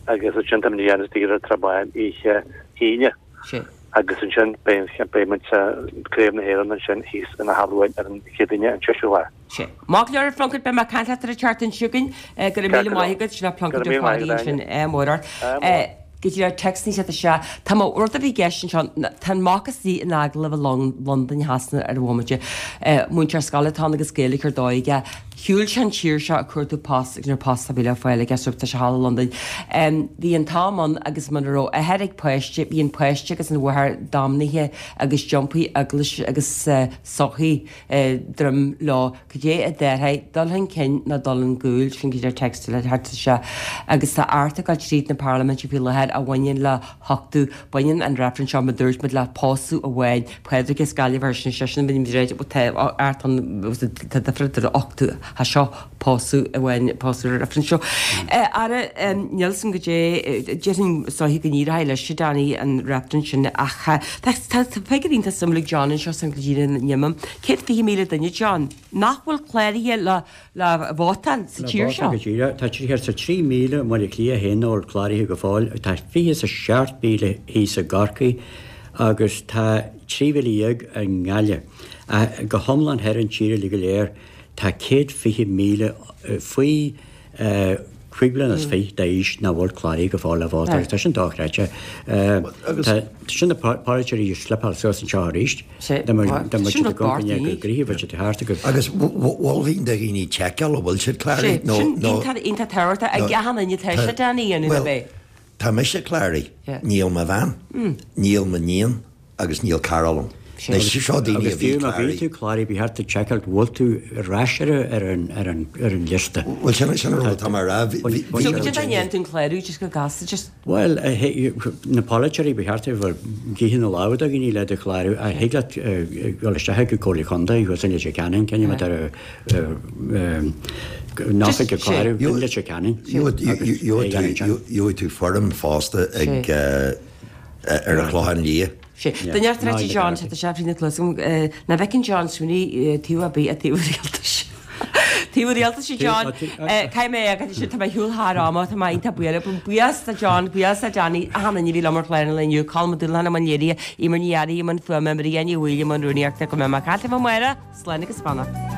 agus ansin táimid ag déanamh istigh ar an Trá Bháin oíche hAoine. Agus ansin beidh beidh muid sa Craobh na hÉireann ansin thíos in Áth Luain ar an Chéadaoine an 6ú lá. Sea. Maith go leor a Phluincéid, beidh mé ag caint leat ar an tseachtain seo chugainn. Go raibh míle maith agat, sin é Pluincéad Ó Fearraigh ansin. Ádh mór ort. Go dtí ar text níos iad sea. Tá mo rud a bhí i gceist anseo, tá an mac istigh in agallamh i Londain Shasana ar an bhomaite. Múinteoir scoile atá ann agus Gaeilge ar dóigh aige. Shiúil sé an tír seo ag cuartú post agus ní raibh post ar bith le fáil aige so tá sé thall i Londain. Bhí an t-am ann agus muna raibh athair ag páiste, bhí an páiste agus an mháthair damnaithe agus d'iompaigh eaglais agus sochaí droim leo. Cad é a déarfá, dul chun cinn nó dul chun gcúil, sin cad é text le thart anseo. Agus tá Acht ag dul tríd na parlaiminte faoi láthair a bhaineann le huchtú. Baineann an reifreann seo, mar a dúirt muid, le pósadh amháin. Pádraig as Gaillimh ar sin seisean, bhí muid tá Acht ann, tá difear idir uchtú, tá seo pósadh amháin, pósadh ar an reifreann seo. Ara, níl 's agam cad é, déarfainn is dóiche go n-éireoidh leis, a Danny, an reifreann sin ach tá tá figiúr iontach suimiúil ag John anseo san go dtí an nimim. 120,000 duine, John, nach bhfuil cláraithe le le vótáil sa tír seo. Le vótáil go díreach. Tá 33,000 i mBaile Átha Cliath féin nach bhfuil cláraithe go fóill, tá 27,000 thíos i gCorcaigh agus tá 13,000 i nGaillimh. Go hiomlán thar an tír uilig go léir tá 120,000 faoi 25 bliana d'aois nach bhfuil cláraithe go fóill le vótáil agus tá sin dochreidte. Tá sin na polaiteoirí ag slipeáil suas anseo arís. Dá mbeadh siad ag gabháil go gnoitheach bheadh siad thart agus. Agus mholfainn do dhaoine tseiceáil an bhfuil siad cláraithe nó. Sin iontach tábhachtach ag achan duine tá sé Danny a dhéanamh Bhuel, tá mise cláraithe, níl mo bhean, níl m'iníon agus níl cara liom. Anois, seo daoine a bhí cláraithe. Agus fiú má bhí tú cláraithe, ba cheart duit seiceáil go bhfuil tú ar ais ar an ar an liosta. Bhuel, sin sin an rud atá mé a rá. Bhí So cad é a dhéanann tú an clárú just go gasta just. Bhuel, na polaiteoirí, ba cheart a bheith ag ithe na lámha do dhaoine le do chlárú. Ach thig leat dul isteach ag an Comhairle Contae thuas i Leitir Ceanainn, cén mar atá an oifig ag clárú i Leitir Ceanainn. Gheobhaidh tú foirm fosta ag ar an Chlochán Liath. Sé. Duine ar tar éis John, tá sé fríd na cluasa agam, nach bhfeiceann John Sweeney taobh ar bith ach taobh an rialtais. Taobh an rialtais a John. Caithfidh mé é a fhágáil tá mé ar shiúl thar ama, tá mé iontach buíoch. Buíochas do John, buíochas do Danny, achan duine a bhí liom ar chlár an lae inniu, Colm Ó Dúlacháin i mbun léirithe, Eimear Ní Fhearraigh i mbun fuaime, Maria Ní Bhaoill i mbun rúnaíochta, go mbeidh mé ag caint libh amárach, slán agus beannacht.